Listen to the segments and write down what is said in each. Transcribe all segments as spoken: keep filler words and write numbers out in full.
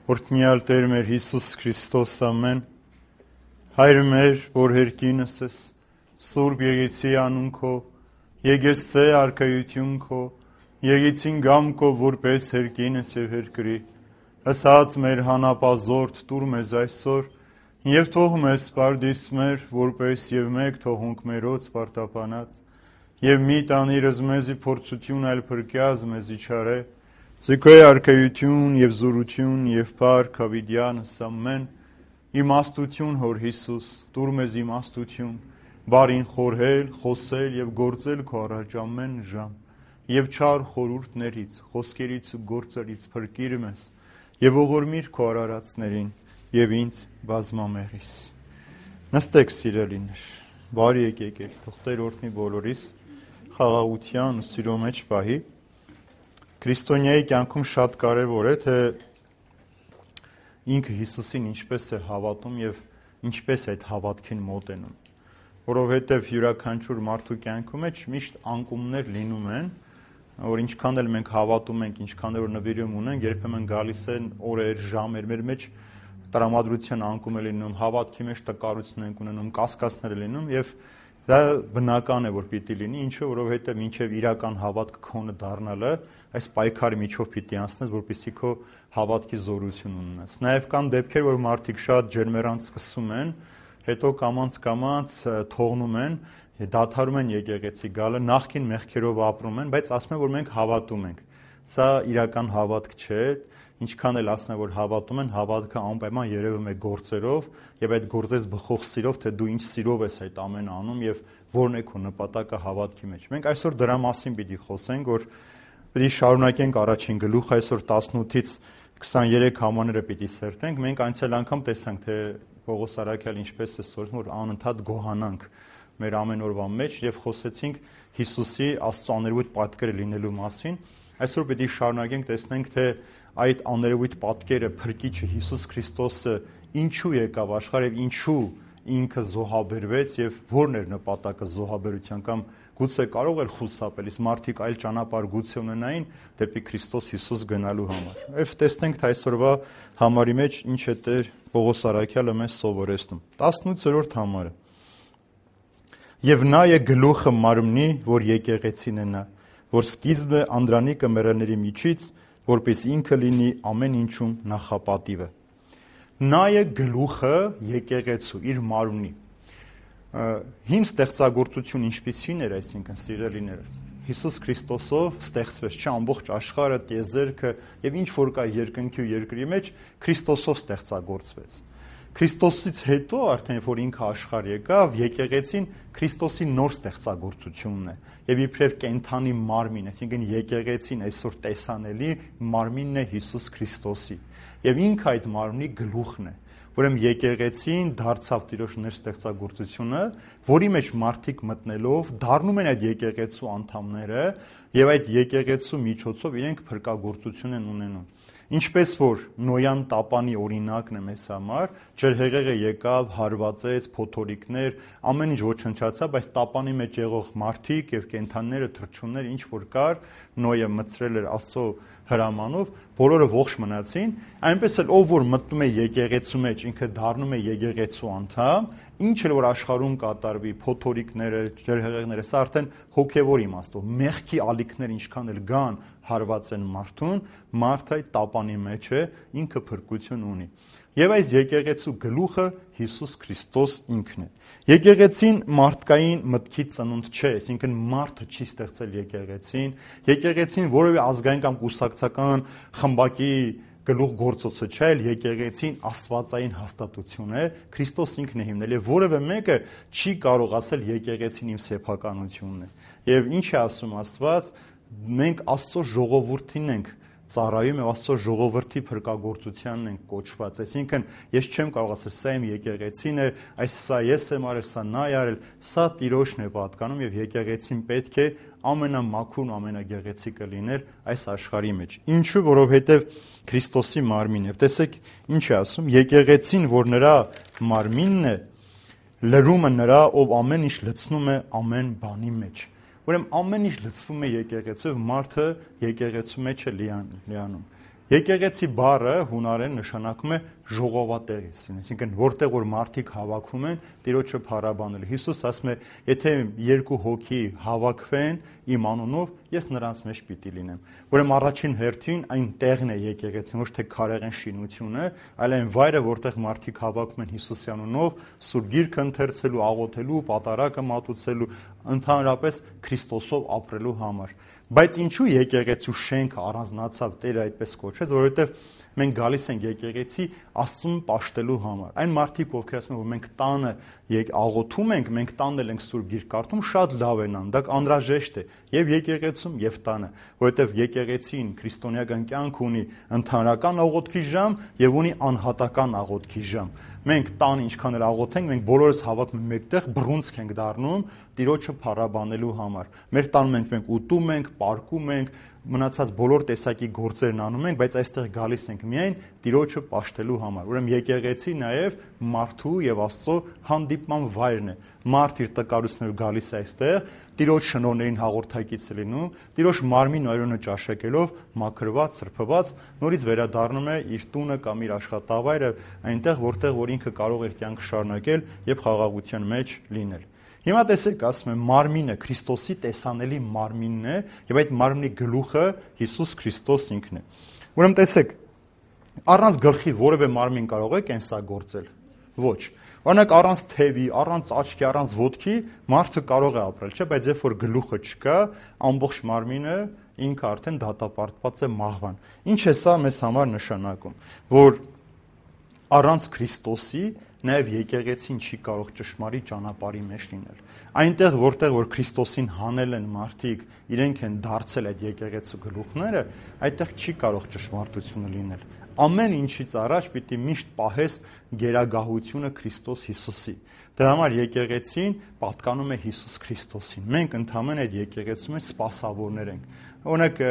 Օրհնյալ Տեր մեր Հիսուս Քրիստոս, ամեն։ Հայր մեր, որ հերկինս ես, Սուրբ Եղեցի անուն քո, եկեցե արքայություն քո, եկեցին գամ քո, որպես հերկինս եւ հերկրի։ Ասած մեր հանապազորդ տուր մեզ այսօր, եւ թող մեզ սպարդիս մեր, որպես եւ մեկ թողունք մերոց պարտապանած, եւ մի տանիրս մեզի փորձություն այլ փրկյազ մեզի չարե, Զիքոյ արքայություն եւ զորություն եւ փառք հավիտյանս ամեն, իմաստություն հոր Հիսուս, տուր մեզ իմաստություն, բարին խորհել, խոսել եւ գործել քո առաջ ամեն ժամ, եւ չար խորհուրդներից, խոսքերից ու գործերից փրկիր մեզ, եւ ողորմիր քո արարածներին եւ ինձ բազմամեղիս։ Նստեք սիրելիներ, բարի եկեք ել, թող Տեր օրհնի բոլորիս, խաղաղության ու սիրո մեջ պահի։ Քրիստոնյայի կյանքում շատ կարևոր է, թե ինքը Հիսուսին ինչպես է հավատում եւ ինչպես է այդ հավատքին մոտենում, որովհետեւ յուրաքանչյուր մարդու կյանքում մեջ միշտ անկումներ լինում են, որ ինչքան էլ մենք հավատում ենք, ինչքան էլ նվիրում ունենք, երբեմն գալիս են օրեր, ժամեր մեր մեջ տրամադրության անկում է լինում, հավատքի մեջ տկարություն ենք ունենում, կասկածներ լինում եւ դա բնական է, որ պիտի լինի, ինչու, որովհետեւ մինչեւ իրական հավատքը քոնը դառնալը այս պայքարի միջով պիտի անցնես, որպեսզի քո հավատքի զորություն ունենաս։ Նաև կան դեպքեր, որ մարդիկ շատ ջերմերանց սկսում են, հետո կամաց-կամաց թողնում են, դադարում են եկեղեցի գալը, նախքին մեղքերով ապրում են, բայց ասում են, որ մենք հավատում ենք։ Սա իրական հավատք չէ, ինչքան էլ ասեն, որ հավատում են, հավատքը անպայման երևում է գործերով եւ այդ գործես բխող սիրով, թե դու ինչ սիրով ես այդ ամենը անում եւ որն է քո նպատակը հավատքի մեջ։ Մենք այսօր դրա մասին պիտի խոսենք, որ Պիտի շարունակենք առաջին գլուխ, այսօր տասնութից քսաներեք համարները պիտի սերտենք, մենք անցյալ անգամ տեսանք, թե Պողոս առաքյալ ինչպես է սորվում, որ անընդհատ գոհանանք մեր ամեն օրվա մեջ եւ խոսեցինք Հիսուսի Աստծո աներևույթ պատկերը լինելու մասին։ Այսօր պիտի շարունակենք տեսնենք, թե այդ աներևույթ պատկերը Փրկիչը Հիսուս Քրիստոսը ինչու եկավ աշխարհ եւ ինչու ինքը զոհաբերվեց եւ որն էր նպատակը զոհաբերության կամ գուցե կարող էր խուսափել, իսկ մարդիկ այլ ճանապարհ գուցե ունենային դեպի Քրիստոս Հիսուս գնալու համար։ Եվ տեսնենք թե այսօրվա համարի մեջ ինչ է Տեր Պողոս առաքյալը մեզ սովորեցնում։ տասնութերորդ համարը։ Եվ նա է գլուխը մարմնի, որ եկեղեցին է նա, որ սկիզբը անդրանիկը մեռելների միջից, որպես ինքը լինի ամեն ինչում նախապատիվը։ Նա է գլուխը եկեղեցու, իր մարմնի։ Հին ստեղծագործություն ինչպիսին էր, այսինքն սիրելիներ, Հիսուս Քրիստոսով ստեղծվեց, չէ, ամբողջ աշխարհը, տիեզերքը եւ ինչ որ կա երկնքի ու երկրի մեջ Քրիստոսով ստեղծագործվեց։ Քրիստոսից հետո արդեն որ ինքը աշխարհ եկավ, եկեղեցին Քրիստոսի նոր ստեղծագործությունն է եւ իբրև կենթանի մարմին, այսինքն եկեղեցին այսօր տեսանելի մարմինն է Հիսուս Քրիստոսի եւ ինքը այդ մարմնի գլուխն է։ Ուրեմն եկեղեցին դարձավ Տիրոջ ներստեղծագործությունը, որի մեջ մարդիկ մտնելով դառնում են այդ եկեղեցու անդամները եւ այդ եկեղեցու միջոցով իրենք փրկagorցություն են ունենում։ Ինչպես որ Նոյան տապանի օրինակն է մեզ համար, ջրհեղեղը եկավ, հարվածեց, փոթորիկներ, ամեն ինչ ոչնչացավ, բայց տապանի մեջ եղող մարդիկ եւ կենդանիները, թռչունները, ինչ որ կար, Նոյը մցրել էր Աստծո հրամանով, բոլորը ողջ մնացին, այնպես էլ ով որ մտնում է եկեղեցու մեջ, ինքը դառնում է եկեղեցու անդամ, ինչ էլ որ աշխարհում կատարվի, փոթորիկները, ջրհեղեղները, սա արդեն հոգեվոր իմաստով, մեղքի ալիքներ ինչքան էլ գան, հարվածեն մարդուն, մարդը այդ տապանի մեջ է, ինքը փրկություն ունի։ Եվ այս եկեղեցու գլուխը Հիսուս Քրիստոս ինքն է։ Եկեղեցին մարդկային մտքի ծնունդ չէ, այսինքն մարդը չի ստեղծել եկեղեցին, եկեղեցին որևէ ազգային կամ կուսակցական խմբակի գլուխ գործոցը չէ, այլ եկեղեցին աստվածային հաստատություն է, Քրիստոս ինքն է հիմնել եւ որևէ մեկը չի կարող ասել եկեղեցին իմ սեփականությունն է։ Եվ ինչ է ասում Աստված, մենք Աստծո ժողովրդին ենք ծառայում եւ Աստծո ժողովրդի փրկagorցությանն են կոչված, այսինքն ես չեմ կարող ասել սա իմ եկեղեցին է, այս սա ես եմ արել, սա նա է արել, սա Տիրոջն է պատկանում եւ եկեղեցին պետք է ամենամաքուրն, ամենագեղեցիկը լինել այս աշխարհի մեջ։ Ինչու, որովհետեւ Քրիստոսի մարմինն է։ Տեսեք ինչ է ասում, եկեղեցին, որ նրա մարմինն է, լրումը նրա, ով ամեն ինչ լցնում է ամեն բանի մեջ։ Ուրեմն ամեն ինչ լցվում է եկեղեցով, մարդը եկեղեցու մեջ է լիանում։ Եկեղեցի բառը հունարեն նշանակում է ժողովատեղից, այսինքն որտեղ որ մարդիկ հավաքվում են Տիրոջը փառաբանելու։ Հիսուս ասում է, եթե երկու հոգի հավաքվեն իմ անունով, ես նրանց մեջ պիտի լինեմ։ Ուրեմն առաջին հերթին այն տեղն է եկեղեցին, ոչ թե քարեղեն շինությունը, այլ այն վայրը, որտեղ մարդիկ հավաքվում են Հիսուսի անունով, Սուրբ Գիրքը ընթերցելու, աղոթելու, պատարագը մատուցելու, ընդհանրապես Քրիստոսով ապրելու համար։ Բայց ինչու եկեղեցու շենքը առանձնացավ, Տերը այդպես կոչեց, որովհետև մենք գալիս ենք եկեղեցի Աստծուն պաշտելու համար։ Այն մարդիկ, ովքեր ասում են, որ մենք տանը աղոթում ենք, մենք տանն էլ ենք Սուրբ Գիրք կարդում, շատ լավ են անում, դա անհրաժեշտ է եւ եկեղեցում եւ տանը, որովհետև եկեղեցին քրիստոնեական կյանք ունի ընդհանրական աղոթքի ժամ եւ ունի անհատական աղոթքի ժամ։ Մենք տան ինչքան էլ աղոթենք, մենք բոլորս հավատում ենք մեկտեղ, բռունցք ենք դառնում Տիրոջը փառաբանելու համար։ Մեր տան մենք մենք ուտում ենք, պարկում ենք, մնացած բոլոր տեսակի գործերն անում ենք, բայց այստեղ գալիս ենք միայն Տիրոջը պաշտելու համար։ Ուրեմն եկեղեցի նաև մարդու եւ Աստծո հանդիպման վայրն է։ Մարդ իր տկարություններով գալիս է այստեղ, Տիրոջ շնորհներին հաղորդակից է լինում, Տիրոջ մարմին օրոնը ճաշակելով, մաքրված, սրբված, նորից վերադառնում է իր տունը կամ իր աշխատավայրը, այնտեղ, որտեղ որ ինքը կարող էր կյանք շարունակել եւ խաղաղության մեջ լինել։ Հիմա տեսեք, ասում եմ, մարմինը Քրիստոսի տեսանելի մարմինն է եւ այդ մարմնի գլուխը Հիսուս Քրիստոս ինքն է։ Ուրեմն տեսեք, առանց գլխի որևէ մարմին կարող է կենսագործել։ Ոչ։ Օրինակ առանց թևի, առանց աչքի, առանց ոտքի մարդը կարող է ապրել, չէ՞, բայց երբ որ գլուխը չկա, ամբողջ մարմինը ինքը արդեն դատապարտված է մահվան։ Ինչ է սա մեզ համար նշանակում, որ առանց Քրիստոսի նաև եկեղեցին չի կարող ճշմարիտ ճանապարհի մեջ լինել։ Այնտեղ, որտեղ որ Քրիստոսին հանել են մարդիկ, իրենք են դարձել այդ եկեղեցու գլուխները, այդտեղ չի կարող ճշմարտությունը լինել։ Ամեն ինչից առաջ պիտի միշտ պահես գերագահությունը Քրիստոս Հիսուսի։ Դրա համար եկեղեցին պատկանում է Հիսուս Քրիստոսին։ Մենք ընդհանրեն այդ եկեղեցու մեջ սպասավորներ ենք։ Օրինակ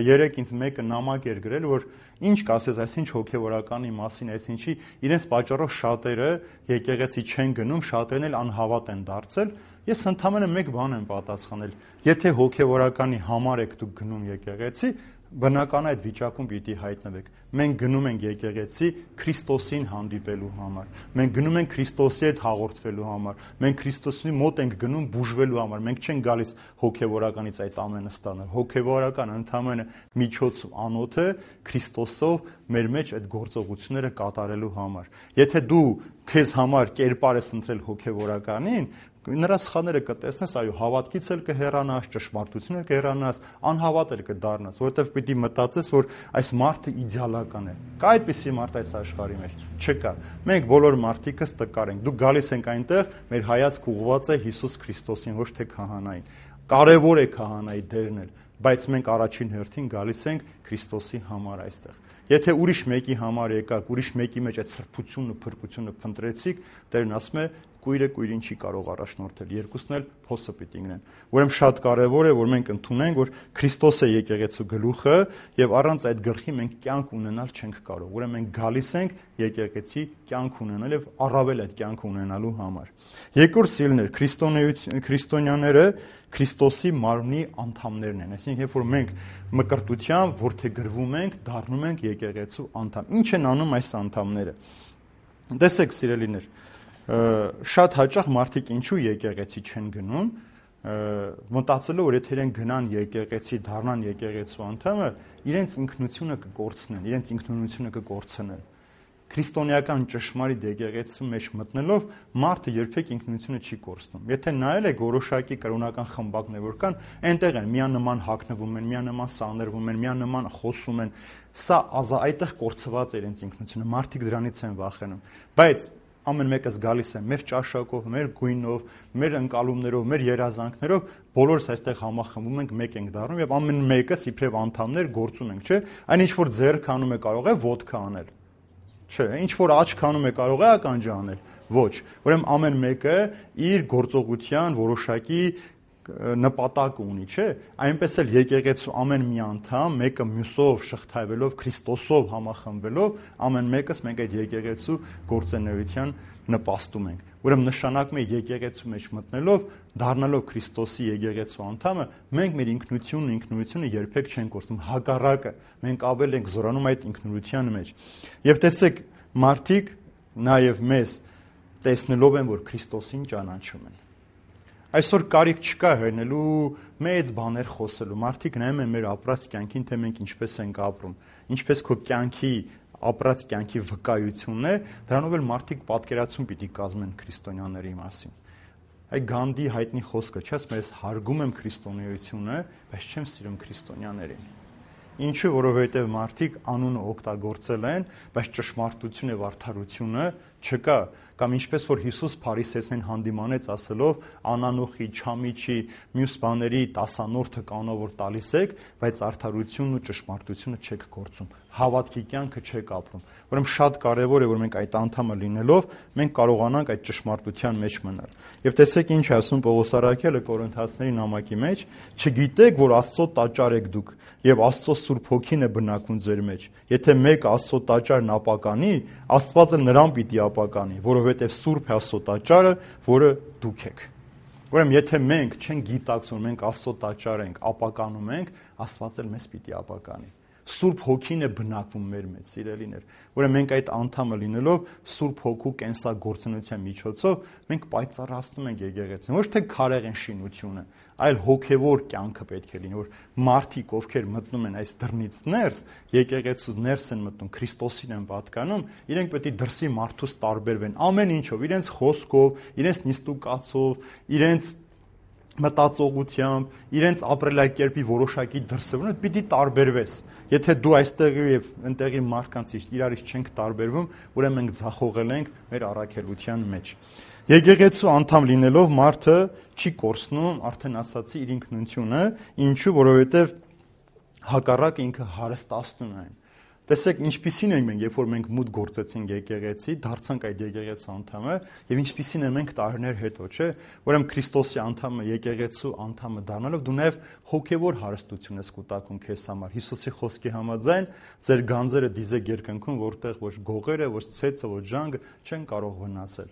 երեք ինձ մեկը նամակ էր գրել, որ ինչ կասես, այսինչ հոգևորականի մասին, այսինչի իրենց պատճառով շատերը եկեղեցի չեն գնում, շատերն էլ անհավատ են դարձել։ Ես ընդհանրապես մեկ բան եմ պատասխանել. եթե հոգևորականի համար եք դուք գնում եկեղեցի, բնական այդ վիճակում պիտի հայտնվեք։ Մենք գնում ենք եկեղեցի Քրիստոսին հանդիպելու համար։ Մենք գնում ենք Քրիստոսի հետ հաղորդվելու համար։ Մենք Քրիստոսի մոտ ենք գնում բուժվելու համար։ Մենք չենք գալիս հոգևորականից այդ ամենը ստանալ։ Հոգևորական ընդհանրապես միջոց ու անոթը Քրիստոսով մեր մեջ այդ գործողությունները կատարելու համար։ Եթե դու քեզ համար կերպար ես ընտրել հոգևորականին, նրա սխալները կտեսնես, այո, հավատքից էլ կհեռանաս, ճշմարտությունից էլ կհեռանաս, անհավատ էլ կդառնաս, որովհետև պիտի մտածես, որ այս մարդը իդեալական է։ Կա այդպիսի մարդ այս աշխարհի մեջ։ Չկա։ Մենք բոլոր մարդիկս տկար ենք։ Դուք գալիս ենք այնտեղ, մեր հայացքը ուղղված է Հիսուս Քրիստոսին, ոչ թե քահանային։ Կարևոր է քահանայի դերն էլ, բայց մենք առաջին հերթին գալիս ենք Քրիստոսի համար այստեղ։ Եթե ուրիշ մեկի համար եկաք, ուրիշ մեկի մեջ այդ սրբությունը, փրկությունը փնտրեցիք, Տերն ասում է, կույրը կույրին չի կարող առաջնորդել, երկուսն էլ փոսը պիտի ինգնեն։ Ուրեմն շատ կարևոր է, որ մենք ընդունենք, որ Քրիստոս է եկեղեցու գլուխը եւ առանց այդ գլխի մենք կյանք ունենալ չենք կարող։ Ուրեմն մենք գալիս ենք եկեղեցի կյանք ունենալ եւ առավել այդ կյանք ունենալու համար։ Երկրորդ սիրելիներ, քրիստոնյաները Քրիստոսի մարմնի անդամներն են։ Այսինքն, երբ որ մենք մկրտությամբ որդեգրվում ենք, դառնում ենք եկեղեցու անդամ։ Ինչ են անում այս անդամները։ Տեսեք, սիրելիներ, շատ հաճախ մարդիկ ինչու եկեղեցի չեն գնում, մտածելով, որ եթե իրենք գնան եկեղեցի, դառնան եկեղեցու անդամը, իրենց ինքնությունը կկորցնեն, իրենց ինքնությունը կկորցնեն։ Քրիստոնեական ճշմարիտ եկեղեցու մեջ մտնելով մարդը երբեք ինքնությունը չի կորցնում։ Եթե նայել եք որոշակի կրոնական խմբակներ, որ կան, այնտեղ են միանման հագնվում են, միանման սանրվում են, միանման խոսում են, սա այդտեղ կորցված է իրենց ինքնությունը, մարդիկ դրանից են վախենում։ Բայց ամեն մեկս գալիս է մեր ճաշակով, մեր գույնով, մեր ընկալումներով, մեր երազանքներով, բոլորս այստեղ համախմբում ենք, մեկ ենք դառնում եւ ամեն մեկս իբրև անդամներ գործում ենք, չէ՞։ Այն ինչ որ ձեռք անում է կարող է ոտքա անել։ Չէ, ինչ որ աչք անում է կարող է ականջ անել։ Ոչ։ Ուրեմն ամեն մեկը իր գործողության որոշակի նպատակ ունի, չէ՞։ Այնպես էլ եկեղեցու ամեն մի անդամ մեկը մյուսով շղթայվելով, Քրիստոսով համախմբվելով, ամեն մեկս մենք այդ եկեղեցու գործունեության նպաստում ենք։ Ուրեմն նշանակում է եկեղեցու մեջ մտնելով, դառնալով Քրիստոսի եկեղեցու անդամը, մենք մեր ինքնությունն ինքնությունը երբեք չենք կորցնում, հակառակը, մենք ավել ենք զորանում այդ ինքնության մեջ։ Եվ տեսեք, մարդիկ նաև մեզ տեսնելով են, որ Քրիստոսին ճանաչում են։ Այսօր կարիք չկա հենելու մեծ բաներ խոսելու։ Մարդիկ նայում են մեր ապրած կյանքին, թե մենք ինչպես ենք ապրում, ինչպես քո կյանքի ապրած կյանքի վկայությունն է, դրանով էլ մարդիկ պատկերացում պիտի կազմեն քրիստոնյաների մասին։ Այդ Գանդի հայտնի խոսքը, չէ՞, ասում ես հարգում եմ քրիստոնեությունը, բայց չեմ սիրում քրիստոնյաներին։ Ինչու, որովհետև մարդիկ անունը օգտագործել են, բայց ճշմարտությունը եւ արդարությունը չկա, կամ ինչպես որ Հիսուս փարիսեցին հանդիմանեց ասելով անանոխի, չամիչի, մյուս բաների տասանորդը կանոնով որ տալիս եք, բայց արդարությունն ու ճշմարտությունը չեք գործում, հավատքի կյանքը չեք ապրում։ Ուրեմն շատ կարևոր է, որ մենք այդ անդամը լինելով մենք կարողանանք այդ ճշմարտության մեջ մնալ։ Եվ տեսեք ինչ է ասում Պողոս առաքյալը Կորինթացիների նամակի մեջ, չգիտեք, որ Աստծո տաճար եք դուք եւ Աստծո Սուրբ Հոգին է բնակվում ձեր մեջ։ Եթե մեկ Աստծո տաճարն ապականի, Աստվածը նրան պիտի ապականի, որովհետև Սուրբ է Աստծո տաճարը, որը դուք եք։ Ուրեմն եթե մենք չենք գիտակցում, մենք Աստծո տաճար ենք, ապականում ենք, Աստված էլ մեզ պիտի ապականի։ Սուրբ Հոգին է բնակվում մեր մեջ, սիրելիներ։ Ուրեմն մենք այդ անդամը լինելով Սուրբ Հոգու կենսագործունության միջոցով մենք պայծառացնում ենք եկեղեցին, ոչ թե քարեղեն շինությունը, այլ հոգևոր կյանքը պետք է լինի, որ մարդիկ, ովքեր մտնում են այս դռնից ներս, եկեղեցուց ներս են մտնում, Քրիստոսին են պատկանում, իրենք պետք է դրսի մարդուց տարբերվեն ամեն ինչով, իրենց խոսքով, իրենց նիստուկացով, իրենց մտածողությամբ, իրենց ապրելակերպի որոշակի դրսևորումով պիտի տարբերվես։ Եթե դու այստեղ եւ ընտեղի մարդկանց իրարից չենք տարբերվում, ուրեմն մենք ձախողել ենք մեր առաքելության մեջ։ Եկեղեցու անդամ լինելով մարդը չի կորցնում, արդեն ասացի, իր ինքնությունը, ինչու, որովհետեւ հակառակը ինքը հարստացնում է։ Տեսեք, ինչպիսին ենք մենք, երբ որ մենք մուտք գործեցինք եկեղեցի, դարձանք այդ եկեղեցու անդամը, եւ ինչպիսին են մենք տարիներ հետո, չէ՞։ Ուրեմն Քրիստոսի անդամը, եկեղեցու անդամը դառնալով դու նաեւ հոգեվոր հարստություն ես կուտակում քեզ համար։ Հիսուսի խոսքի համաձայն, ձեր գանձերը դիզեք երկնքում, որտեղ ոչ գողերը, ոչ ցեցը, ոչ ժանգը չեն կարող վնասել։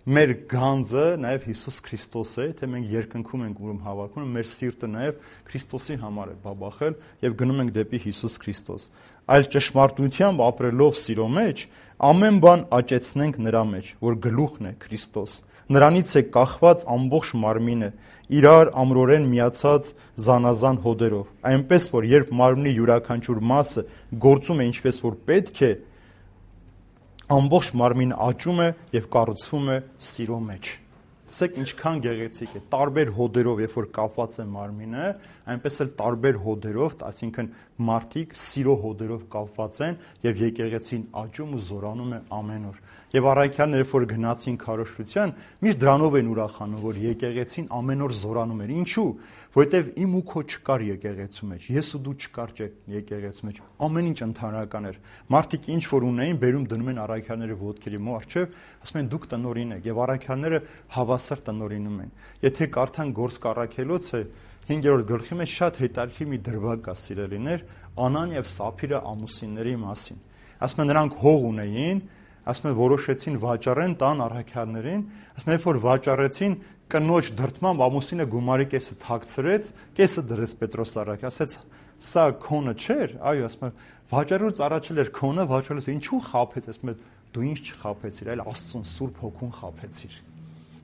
Մեր գանձը նաև Հիսուս Քրիստոս է, թե մենք երկնքում ենք ուրում հավաքում, մեր սիրտը նաև Քրիստոսի համար է բաբախել եւ գնում ենք դեպի Հիսուս Քրիստոս։ Այլ ճշմարտությամբ ապրելով սիրո մեջ, ամեն բան աճեցնենք նրա մեջ, որ գլուխն է Քրիստոս։ Նրանից է կախված ամբողջ մարմինը, իրար ամրորեն միացած զանազան հոդերով։ Այնպես որ երբ մարմնի յուրաքանչյուր մասը գործում է ինչպես որ պետք է, ամբողջ մարմինը աճում է եւ կառուցվում է սիրո մեջ։ Տեսեք ինչքան գեղեցիկ է, տարբեր հոդերով, երբ որ կապված է մարմինը, այնպես էլ տարբեր հոդերով, այսինքն մարդիկ սիրո հոդերով կապված են եւ եկեղեցին աճում ու զորանում է ամեն օր։ Եվ առաքյալները, երբ որ գնացին քարոզչության, միշտ դրանով են ուրախանում, որ եկեղեցին ամեն օր զորանում էր։ Ինչու՞։ Որովհետև իմ ու քո չկար եկեղեցու մեջ, ես ու դու չկար եկեղեցու մեջ, ամեն ինչ ընդհանրական էր։ Մարդիկ ինչ որ ունեին, բերում դնում են առաքյալները ոտքերի մոռ, ասում են դուք տնօրին եք, եւ առաքյալները հավասար տնօրինում են։ Եթե կարդան Գործք առաքելոցը հինգերորդ գլխի մեջ շատ հետաքրքիր մի դրվագ կա, սիրելիներ, Անան եւ Սափիրը ամուսինների մասին։ Ասում են նրանք հող ունեին, ասում են որոշեցին վաճառեն տան առաքյալներին, ասում են երբ որ վաճառեցին, կնոջ դրդմամբ ամուսինը գումարի կեսը թաքցրեց, կեսը դրեց Պետրոս առաքյալ, ասեց սա քոնը չէր, այո, ասում են վաճառելուց առաջ էր քոնը, վաճառելուց ինչու խաբեց, ասում են դու ինչ չխաբեցիր, այլ Աստծուն Սուրբ Հոգուն խաբեցիր։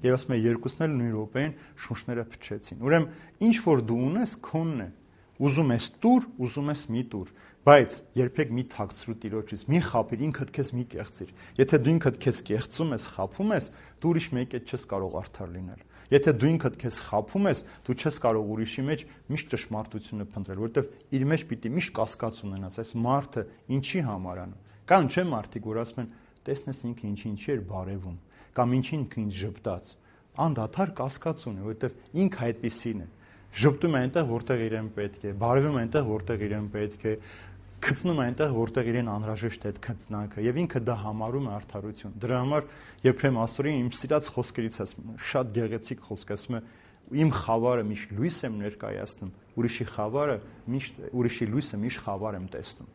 Եվ ասում են երկուսն էլ նույն րոպեին շունչները փչեցին։ Ուրեմն ինչ որ դու ունես, քոնն է։ Ուզում ես տուր, ուզում ես մի տուր, բայց երբեք մի թաքցրու Տիրոջից, մի խաբիր, ինքդ քեզ մի կեղծիր։ Եթե դու ինքդ քեզ կեղծում ես, խաբում ես, դու ուրիշ մեկի հետ չես կարող արդար լինել։ Եթե դու ինքդ քեզ խաբում ես, դու չես կարող ուրիշի մեջ միշտ ճշմարտությունը փնտրել, որովհետև իր մեջ պիտի միշտ կասկած ունենաս, այս մարդը ինչի համար անում։ Կան չէ մարդիկ, որ ասում են, տեսնես ինքը ինչի ինչի էր բարևում, կամ ինչին ինքը ինձ ժպտաց։ Անդադար կասկած ունի, որովհետև ինքը այդպիսին է։ Ժպտում է այնտեղ, որտեղ իրեն պետք է, բարևում է այնտեղ, որտեղ իրեն պետք է, գցնում է այնտեղ, որտեղ իրեն անհրաժեշտ է այդ գծնակը, եւ ինքը դա համարում է արդարություն։ Դրա համար Եփրեմ ասորին իմ սիրած խոսքերից ասում, շատ գեղեցիկ խոսք, ասում է իմ խավարը միշտ լույս եմ ներկայացնում, ուրիշի խավարը միշտ ուրիշի լույսը միշտ խավար եմ տեսնում։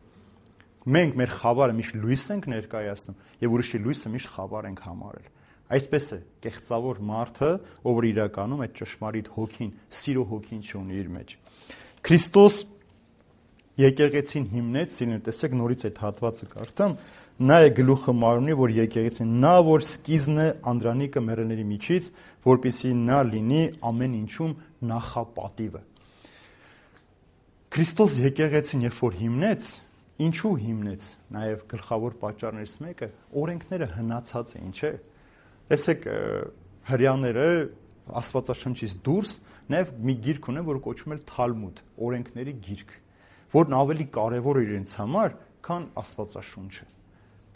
Մենք մեր խավարը միշտ լույս ենք ներկայացնում եւ ուրիշի լույսը միշտ խավար ենք համարել։ Այսպես է կեղծավոր մարդը, ով իրականում այդ ճշմարիտ հոգին, սիրո հոգին չունի իր մեջ։ Քրիստոս եկեղեցին հիմնեց, սիրուն, տեսեք նորից այդ հատվածը կարդամ, նա է գլուխը մարմնի, որ եկեղեցին, նա որ սկիզբն է անդրանիկը մեռելների միջից, որպեսզի նա լինի ամեն ինչում նախապատիվը։ Քրիստոս եկեղեցին երբ որ հիմնեց, ինչու հիմնեց, նաև գլխավոր պատճառներից մեկը օրենքները հնացած էին, չէ՞։ Տեսեք, հրեաները Աստվածաշնչից դուրս նաև մի գիրք ունեն, որ կոչվում է Թալմուդ, օրենքների գիրք, որն ավելի կարևոր է իրենց համար, քան Աստվածաշունչը։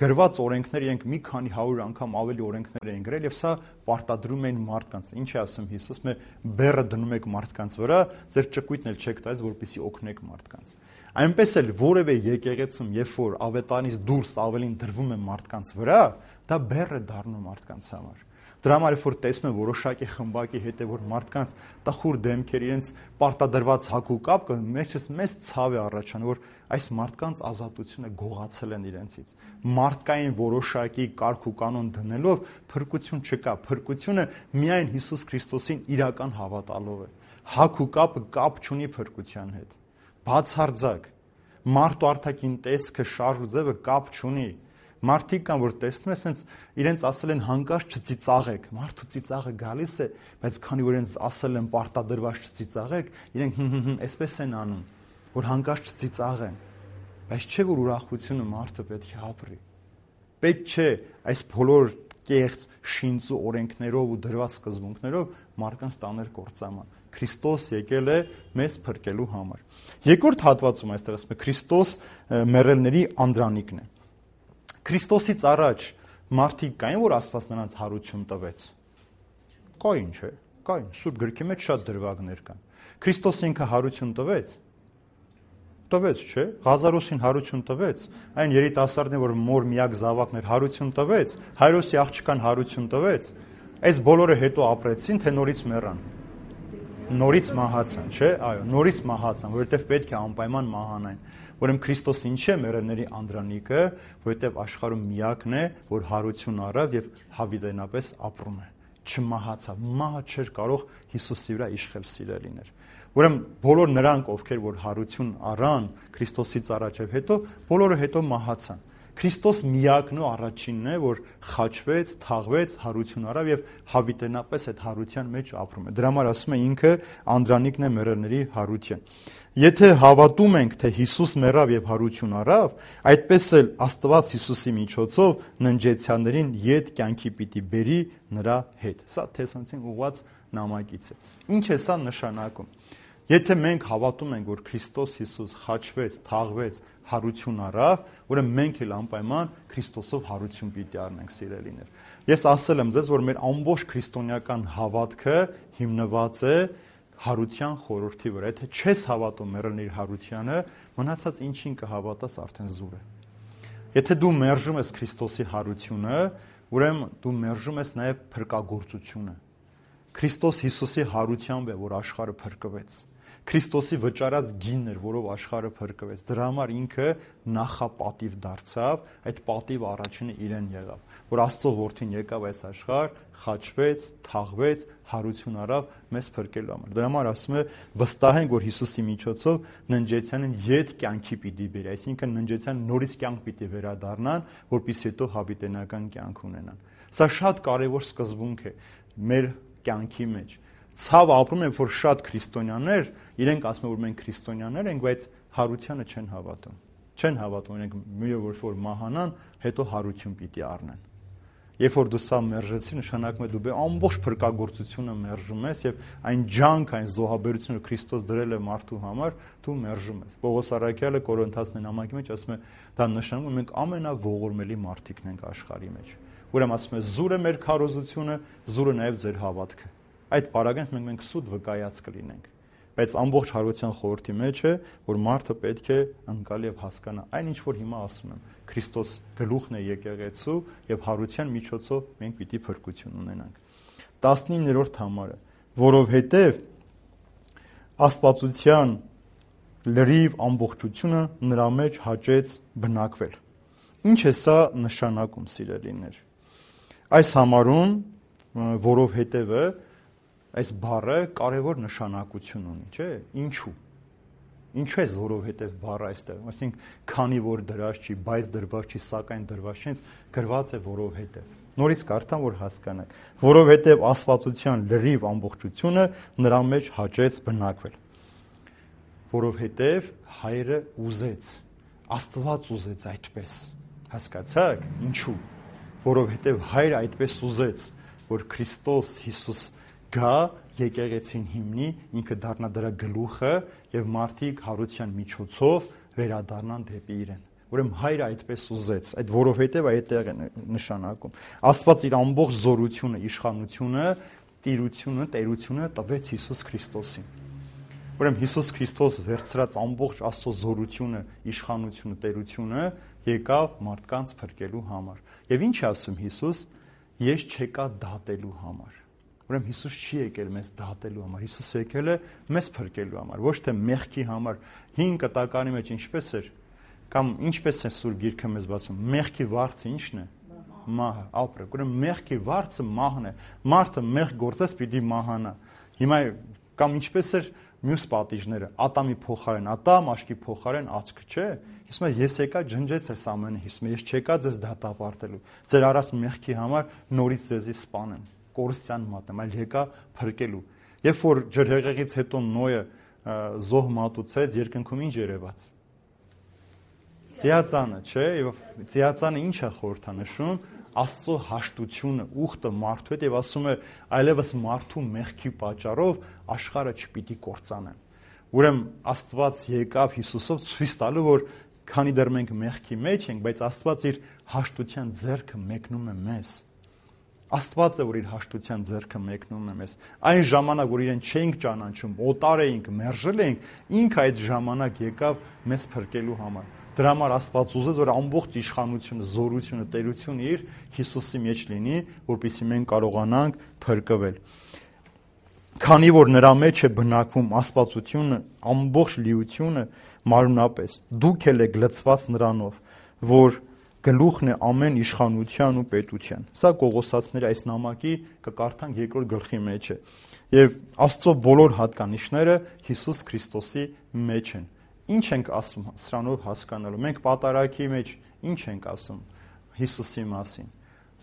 Գրված օրենքները իրենք մի քանի հարյուր անգամ ավելի օրենքներ էին գրել եւ սա պարտադրում էին մարդկանց։ Ինչ է ասում Հիսուս, մե բեռը դնում եք մարդկանց վրա, ձեր ճկույթն էլ չեք տալիս, որպեսզի օգնեք մարդկանց։ Այնպես էլ որևէ եկեղեցում, երբ որ ավետարանից դուրս ավելին դրվում է մարդկանց վրա, դա բեռ է դառնում մարդկանց համար։ Դրա համար որ տեսնում են որոշակի խմբակի հետ է որ մարդկանց տխուր դեմքեր իրենց պարտադրված հակու կապ, մեջս մեծ ցավ է առաջանում, որ այս մարդկանց ազատությունը գողացել են իրենցից։ Մարդկային որոշակի կարգ ու կանոն դնելով փրկություն չկա, փրկությունը միայն Հիսուս Քրիստոսին իրական հավատալով է։ Հակու կապը կապ չունի փրկության հետ։ Բացարձակ մարդ ու արտաքին տեսքը, շարժ ու ձևը կապ չունի։ Մարդիկ կան, որ տեսնում ես, հենց իրենց ասել են հանկարծ չծիծաղեք, մարդու ծիծաղը գալիս է, բայց քանի որ իրենց ասել են պարտադրված չծիծաղեք, իրենք հմ-հմ-հմ այսպես են անում, որ հանկարծ չծիծաղեն, բայց չէ որ ուրախությունը մարդը պետք է ապրի։ Պետք չէ այս բոլոր կեղծ շինծու օրենքներով ու դրված սկզբունքներով մարդկանց տաներ կործանման։ Քրիստոս եկել է մեզ փրկելու համար։ Երկրորդ հատվածում այստեղ ասում է Քրիստոս մեռելների անդրանիկն է։ Քրիստոսից առաջ մարդիկ կային, որ Աստված նրանց հարություն տվեց։ Կային, չէ՞։ Կային։ Սուրբ գրքի մեջ շատ դրվագներ կան։ Քրիստոս ինքը հարություն տվեց։ Տվեց, չէ՞։ Ղազարոսին հարություն տվեց։ Այն երիտասարդին, որ մոր միակ զավակն էր, հարություն տվեց։ Հայրոսի աղջկան հարություն տվեց։ Այս բոլորը հետո ապրեցին, թե նորից մեռան։ Նորից մահացան, չէ՞։ Այո, նորից մահացան, որովհետև պետք է անպայման մահանային։ Ուրեմն Քրիստոսը ինչ է մեռելների անդրանիկը, որովհետև աշխարհում միակն է, որ հարություն առավ եւ հավիտենապես ապրում է։ Չմահացավ, մահը չէր կարող Հիսուսի վրա իշխել սիրելիներ։ Ուրեմն բոլոր նրանք, ովքեր որ հարություն առան Քրիստոսից առաջ եւ հետո, բոլորը հետո մահացան։ Քրիստոս միակն ու առաջինն է, որ խաչվեց, թաղվեց, հարություն առավ եւ հավիտենապես այդ հարության մեջ ապրում է։ Դրա համար ասում է ինքը անդրանիկն է մեռելների հարության։ Եթե հավատում ենք, թե Հիսուս մեռավ եւ հարություն առավ, այդպես էլ Աստված Հիսուսի միջոցով ննջեցյաններին ետ կյանքի պիտի բերի նրա հետ։ Սա Թեսացին ուղված նամակից է։ Ինչ է սա նշանակում։ Եթե մենք հավատում ենք, որ Քրիստոս Հիսուս խաչվեց, թաղվեց, հարություն առավ, ուրեմն մենք էլ անպայման Քրիստոսով հարություն պիտի առնենք, սիրելիներ։ Ես ասել եմ ձեզ, որ մեր ամբողջ քրիստոնեական հավատքը հիմնված է հարության խորհրդի վրա։ Եթե չես հավատում մեռելների հարությանը, մնացած ինչին կհավատաս արդեն զուր է։ Եթե դու մերժում ես Քրիստոսի հարությունը, ուրեմն դու մերժում ես նաև փրկagorցությունը։ Քրիստոս Հիսուսի հարությամբ է, որ աշխարհը փրկվեց։ Քրիստոսի վճարած գինն էր, որով աշխարհը փրկվեց։ Դրա համար ինքը նախապատիվ դարձավ, այդ պատիվը առաջինը իրեն եղավ, որ Աստծո որդին եկավ այս աշխարհ, խաչվեց, թաղվեց, հարություն առավ մեզ փրկելու համար։ Դրա համար ասում է վստահենք, որ Հիսուսի միջոցով ննջեցյանին ետ կյանքի պիտի բերի, այսինքն ննջեցյան նորից կյանք պիտի վերադառնան, որպեսզի հետո հավիտենական կյանք ունենան։ Սա շատ կարևոր սկզբունք է մեր կյանքի մեջ։ Ցավը ապրում են, որ շատ քրիստոնյաներ, իրենք ասում են, որ մենք քրիստոնյաներ ենք, բայց հարությանը չեն հավատում։ Չեն հավատում, իրենք մի օր որ մահանան, հետո հարություն պիտի առնեն։ Երբ որ դու սա մերժեցի, նշանակում է դու բե ամբողջ փրկagorցությունը մերժում ես եւ այն ջանք, այն զոհաբերությունը Քրիստոս դրել է մարդու համար, դու մերժում ես։ Պողոս առաքյալը Կորինթացիների նամակի մեջ ասում է, դա նշանակում է մենք ամենաողորմելի մարդիկն ենք աշխարհի մեջ։ Ուրեմն ասում է զուրը մեր քարոզությունը, զուրը նաեւ ձեր հավատքը։ Այդ պարագանք մենք մենք սուտ վկայած կլինենք, բայց ամբողջ հարության խորհրդի մեջ է, որ մարդը պետք է ընկալ եւ հասկանա այն ինչ որ հիմա ասում եմ, Քրիստոս գլուխն է եկեղեցու եւ հարության միջոցով մենք պիտի փրկություն ունենանք։ տասնիններորդ համարը, որովհետեւ աստվածության լրիվ ամբողջությունը նրա մեջ հաճեց բնակվել։ Ինչ է սա նշանակում, սիրելիներ։ այս համարում որովհետևը այս բառը կարևոր նշանակություն ունի, չէ՞։ Ինչու։ Ինչու է որովհետև բառը այստեղ, այսինքն քանի որ դրած չի, բայց դրված չի, սակայն դրված չի, գրված է որովհետև։ Նորից կարդամ, որ հասկանաք, որովհետև աստվածության լրիվ ամբողջությունը նրա մեջ հաճեց բնակվել։ Որովհետև հայրը ուզեց, Աստված ուզեց այդպես։ Հասկացա՞ք, ինչու։ Որովհետև հայրը այդպես ուզեց, որ Քրիստոս Հիսուս գա, եկեղեցին հիմնի, ինքը դառնա դրա գլուխը եւ մարդիկ հարության միջոցով վերադառնան դեպի իրեն։ Ուրեմն հայրը այդպես ուզեց, այդ որովհետև այդտեղ է նշանակում։ Աստված իր ամբողջ զորությունը, իշխանությունը, տիրությունը, տերությունը տվեց Հիսուս Քրիստոսին։ Ուրեմն Հիսուս Քրիստոս վերցրած ամբողջ Աստծո զորությունը, իշխանությունը, տերությունը եկավ մարդկանց փրկելու համար։ Եվ ինչ է ասում Հիսուս. ես չեկա դատելու համար։ Ուրեմն Հիսուս չի եկել մեզ դատելու համար, Հիսուս եկել է մեզ փրկելու համար, ոչ թե մեղքի համար։ Հին կտականի մեջ ինչպես էր, կամ ինչպես է Սուրբ Գիրքը մեզ բացում, մեղքի վարձը ի՞նչն է։ Մահը, ապրեք։ Ուրեմն մեղքի վարձը մահն է։ Մարդը մեղք գործես պիտի մահանա։ Հիմա կամ ինչպես էր մյուս պատիժները, Ատամի փոխարեն Ատամ, աշկի փոխարեն աչք, չէ։ Հիմա ես եկա ջնջեց այս ամենը, հիմա ես չեկա ձեզ դատապարտելու։ Ձեր առած մեղքի համար նորից ձեզի սպանեմ, կորստյան մատեմ, այլ եկա փրկելու։ Երբ որ ջրհեղեղից հետո Նոյը զոհ մատուցեց, երկնքում ինչ երևաց։ Ձիածանը, չէ՞, եւ ձիածանը ինչ է խորհրդանշում, Աստծո հաշտությունը, ուխտը մարդու հետ, եւ ասում է, այլևս մարդու մեղքի պատճառով աշխարհը չպիտի կործանեն։ Ուրեմն Աստված եկավ Հիսուսով ցույց տալու, որ քանի դեռ մենք մեղքի մեջ ենք, բայց Աստված իր հաշտության ձեռքը մեկնում է մեզ։ Աստված է, որ իր հաշտության ձեռքը մեկնում է մեզ։ Այն ժամանակ, որ իրեն չէինք ճանաչում, օտար էինք, մերժել էինք, ինքը այդ ժամանակ եկավ մեզ փրկելու համար։ Դրա համար Աստված ուզեց, որ ամբողջ իշխանությունը, զորությունը, տերությունը իր Հիսուսի մեջ լինի, որպեսզի մենք կարողանանք փրկվել։ Քանի որ նրա մեջ է բնակվում աստվածությունը, ամբողջ լիությունը մարմնապես, դուք էլ եք լցված նրանով, որ գլուխն է ամեն իշխանության ու պետության։ Սա Կողոսացիների այս նամակի կկարդանք երկրորդ գլխի մեջ է։ Եվ Աստծո բոլոր հատկանիշները Հիսուս Քրիստոսի մեջ են։ Ինչ ենք ասում սրանով հասկանալու։ Մենք պատարագի մեջ ինչ ենք ասում Հիսուսի մասին,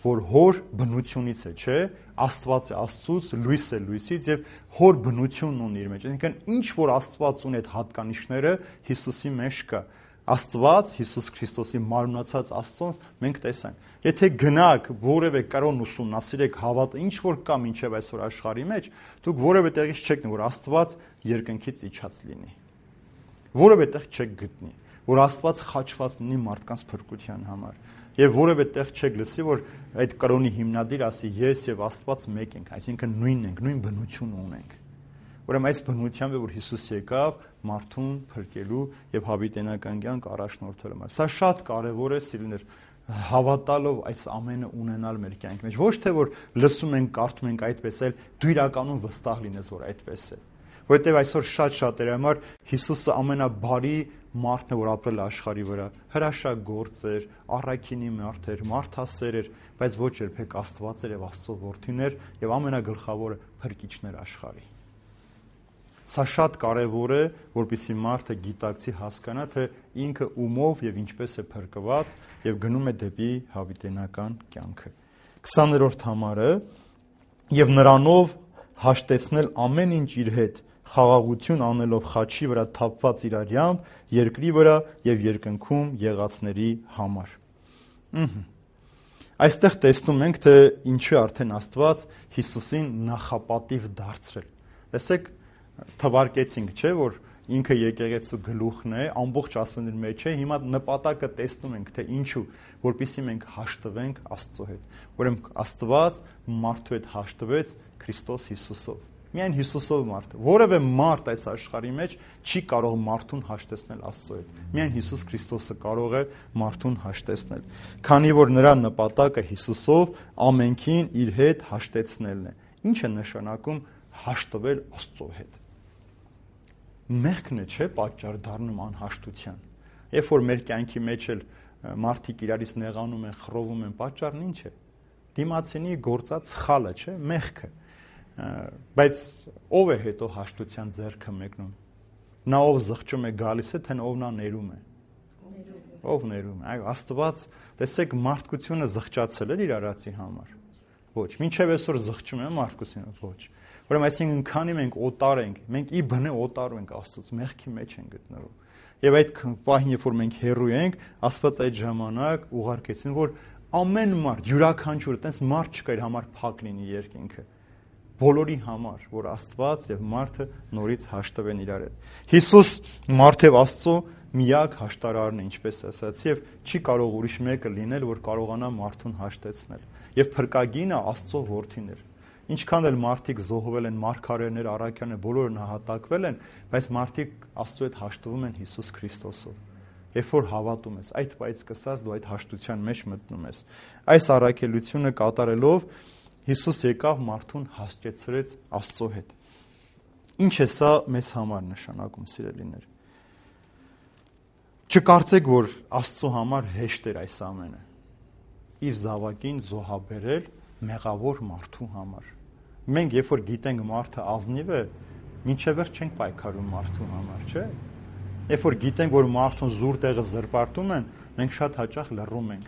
որ հոր բնությունից է, չէ, Աստված է Աստծուց, լույս է լույսից եւ հոր բնությունն ունի իր մեջ։ Այսինքն ինչ որ Աստված ունի այդ հատկանիշները Հիսուսի մեջ կա։ Աստված Հիսուս Քրիստոսի մարմնացած Աստծոն մենք տեսանք։ Եթե գնաք որևէ կրոն ուսումնասիրեք հավատը, ինչ որ կա մինչև այսօր աշխարհի մեջ, դուք որևէ տեղից չեք գտնի, որ Աստված երկնքից իջած լինի։ Որևէ տեղ չեք գտնի, որ Աստված խաչված լինի մարդկանց փրկության համար։ Եվ որևէ տեղ չեք լսի, որ այդ կրոնի հիմնադիր ասի ես եւ Աստված մեկ ենք, այսինքն նույնն ենք, նույն բնություն ունենք։ Ուրեմն այս բնությամբ է, որ Հիսուս եկավ մարդուն փրկելու եւ հավիտենական կյանք առաջնորդելու համար։ Սա շատ կարեւոր է, սիրելիներ, հավատալով այս ամենը ունենալ մեր կյանքի մեջ։ Ոչ թե որ լսում ենք, կարդում ենք այդպես, այլ դու իրականում վստահ լինես, որ այդպես է։ Որտեւ այսօր շատ շատերի համար Հիսուսը ամենաբարի մարդն է, որ ապրել աշխարհի վրա, հրաշագործ էր, առաքինի մարդ էր, մարդասեր էր, բայց ոչ երբեք Աստված էր եւ Աստծո որդին էր եւ ամենագլխավորը փրկիչն էր աշխարհի։ Սա շատ կարևոր է, որպեսզի մարդը գիտակցի, հասկանա, թե ինքը ումով եւ ինչպես է փրկված եւ գնում է դեպի հավիտենական կյանքը։ քսաներորդ համարը եւ նրանով հաշտեցնել ամեն ինչ իր հետ, խաղաղություն անելով խաչի վրա թափված իրարյամբ երկրի վրա եւ երկնքում եղածների համար։ Ահա։ Այստեղ տեսնում ենք, թե ինչու արդեն Աստված Հիսուսին նախապատիվ դարձրել։ Տեսեք, թվարկեցինք, չէ, որ ինքը եկեղեցու գլուխն է, ամբողջ աստվածների մեջ է, հիմա նպատակը տեսնում ենք, թե ինչու, որպեսզի մենք հաշտվենք Աստծո հետ։ Ուրեմն Աստված մարդու հետ հաշտվեց Քրիստոս Հիսուսով։ Միայն Հիսուսով մարդը, որևէ մարդ այս աշխարհի մեջ չի կարող մարդուն հաշտեցնել Աստծո հետ։ Միայն Հիսուս Քրիստոսը կարող է մարդուն հաշտեցնել, քանի որ նրա նպատակը Հիսուսով ամենքին իր հետ հաշտեցնելն է։ Ինչ է նշանակում հաշտվել Աստծո հետ։ Մեղքն է, չէ, պատճառ դառնում անհաշտության։ Երբ որ մեր կյանքի մեջ էլ մարդիկ իրարից նեղանում են, խռովում են, պատճառն ինչ է։ դիմացինի գործած սխալը, չէ, մեղքը։ Բայց ով է հետո հաշտության ձեռքը մեկնում։ Նա ով զղջում է գալիս է, թե ով նա ներում է։ Ով ներում է։ Այո, Աստված, տեսեք, մարդկությունը զղջացել էր իր արածի համար։ Ոչ, մինչև այսօր զղջում է մարդկությունը, ոչ։ Ուրեմն այսինքն քանի մենք օտար ենք, մենք ի բնե օտար ենք Աստծուց, մեղքի մեջ ենք գտնվում։ Եվ այդ պահին, երբ որ մենք հեռու ենք, Աստված այդ ժամանակ ուղարկեցին, որ ամեն մարդ, յուրաքանչյուր, այտենց մարդ չկա իր համար փակ լինի երկինքը։ Բոլորի համար, որ Աստված եւ մարդը նորից հաշտվեն իրար հետ։ Հիսուս մարդ եւ Աստծո միակ հաշտարարն է, ինչպես ասացի, եւ չի կարող ուրիշ մեկը լինել, որ կարողանա մարդուն հաշտեցնել։ Եվ փրկագինը Աստծո որդին էր։ Ինչքան էլ մարդիկ զոհվել են, մարգարեներ, առաքյաներ, բոլորը նահատակվել են, բայց մարդիկ Աստծո հետ հաշտվում են Հիսուս Քրիստոսով։ Երբ որ հավատում ես, այդ պայծ սկսած դու այդ հաշտության մեջ մտնում ես։ Այս առաքելությունը կատարելով Հիսուս եկավ մարդուն հաշտեցրեց Աստծո հետ։ Ինչ է սա մեզ համար նշանակում, սիրելիներ։ Չկարծեք, որ Աստծո համար հեշտ էր այս ամենը։ Իր զավակին զոհաբերել մեղավոր մարդու համար։ Մենք երբ որ գիտենք մարդը ազնիվ է, մինչև վերջ չենք պայքարում մարդու համար, չէ՞։ Երբ որ գիտենք, որ մարդուն զուր տեղը զրպարտում են, մենք շատ հաճախ լռում ենք։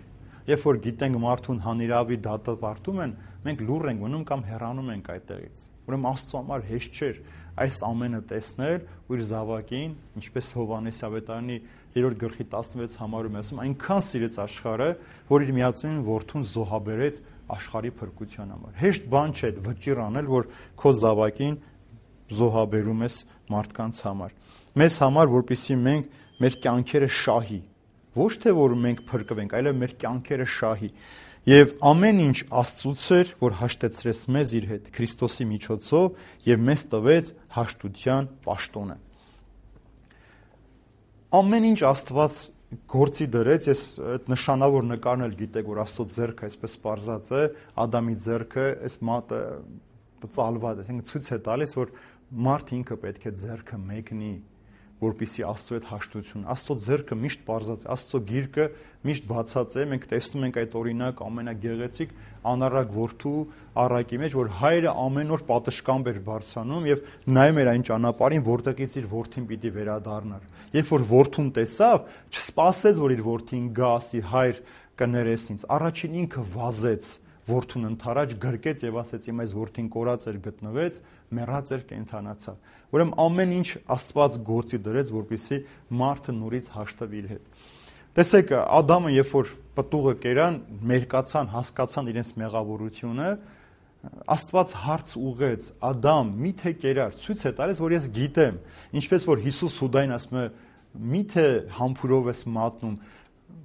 Երբ որ գիտենք մարդուն հանիրավի դատապարտում են, մենք լուռ ենք մնում կամ հեռանում ենք այդտեղից։ Ուրեմն Աստծո համար հեշտ չէր այս ամենը տեսնել ու իր զավակին, ինչպես Հովհաննես ավետարանի երրորդ գլխի տասնվեց համարում ասում, այնքան սիրեց աշխարհը, որ իր միածին որդուն զոհաբերեց աշխարհի փրկության համար։ Հեշտ բան չէ այդ վճիռ անել, որ քո զավակին զոհաբերում ես մարդկանց համար։ Մեզ համար, որպեսզի մենք մեր կյանքերը շահի, ոչ թե որ մենք փրկվենք, այլև մեր կյանքերը շահի։ Եվ ամեն ինչ Աստծուց էր, որ հաշտեցրեց մեզ իր հետ Քրիստոսի միջոցով եւ մեզ տվեց հաշտության պաշտոնը։ Ամեն ինչ Աստված գործի դրեց, ես այդ նշանավոր նկարն էլ գիտեք, որ Աստծո ձեռքը այսպես պարզած է, Ադամի ձեռքը, այս մատը ծալված, այսինքն ցույց է տալիս, որ մարդ ինքը պետք է ձեռքը մեկնի, որպեսզի Աստծո հետ հաշտություն։ Աստծո ձեռքը միշտ պարզած է, Աստծո գիրկը միշտ բացած է, մենք տեսնում ենք այդ օրինակ ամենագեղեցիկ անառակ որդու առակի մեջ, որ հայրը ամեն օր պատշգամբ էր բարձրանում եւ նայում էր այն ճանապարհին, որտեղից իր որդին պիտի վերադառնար։ Երբ որ որդուն տեսավ, չսպասեց, որ իր որդին գա, ասի հայր կներես ինձ, առաջին ինքը վազեց որդուն ընթരാճ գրկեց եւ ասեց իմ այս որդին կորած էր գտնվեց, մեռած էր կենթանացավ։ Ուրեմն ամեն ինչ Աստված գործի դրեց, որպեսզի մարդը նորից հաշտվի իր հետ։ Տեսեք, Ադամը երբ որ պտուղը կերան, մերկացան, հասկացան իրենց մեղավորությունը, Աստված հարց ուղեց. Ադամ, միթե կերար, ցույց է տալիս, որ ես գիտեմ, ինչպես որ Հիսուս Հուդային ասում է, միթե համբուրով ես մատնում,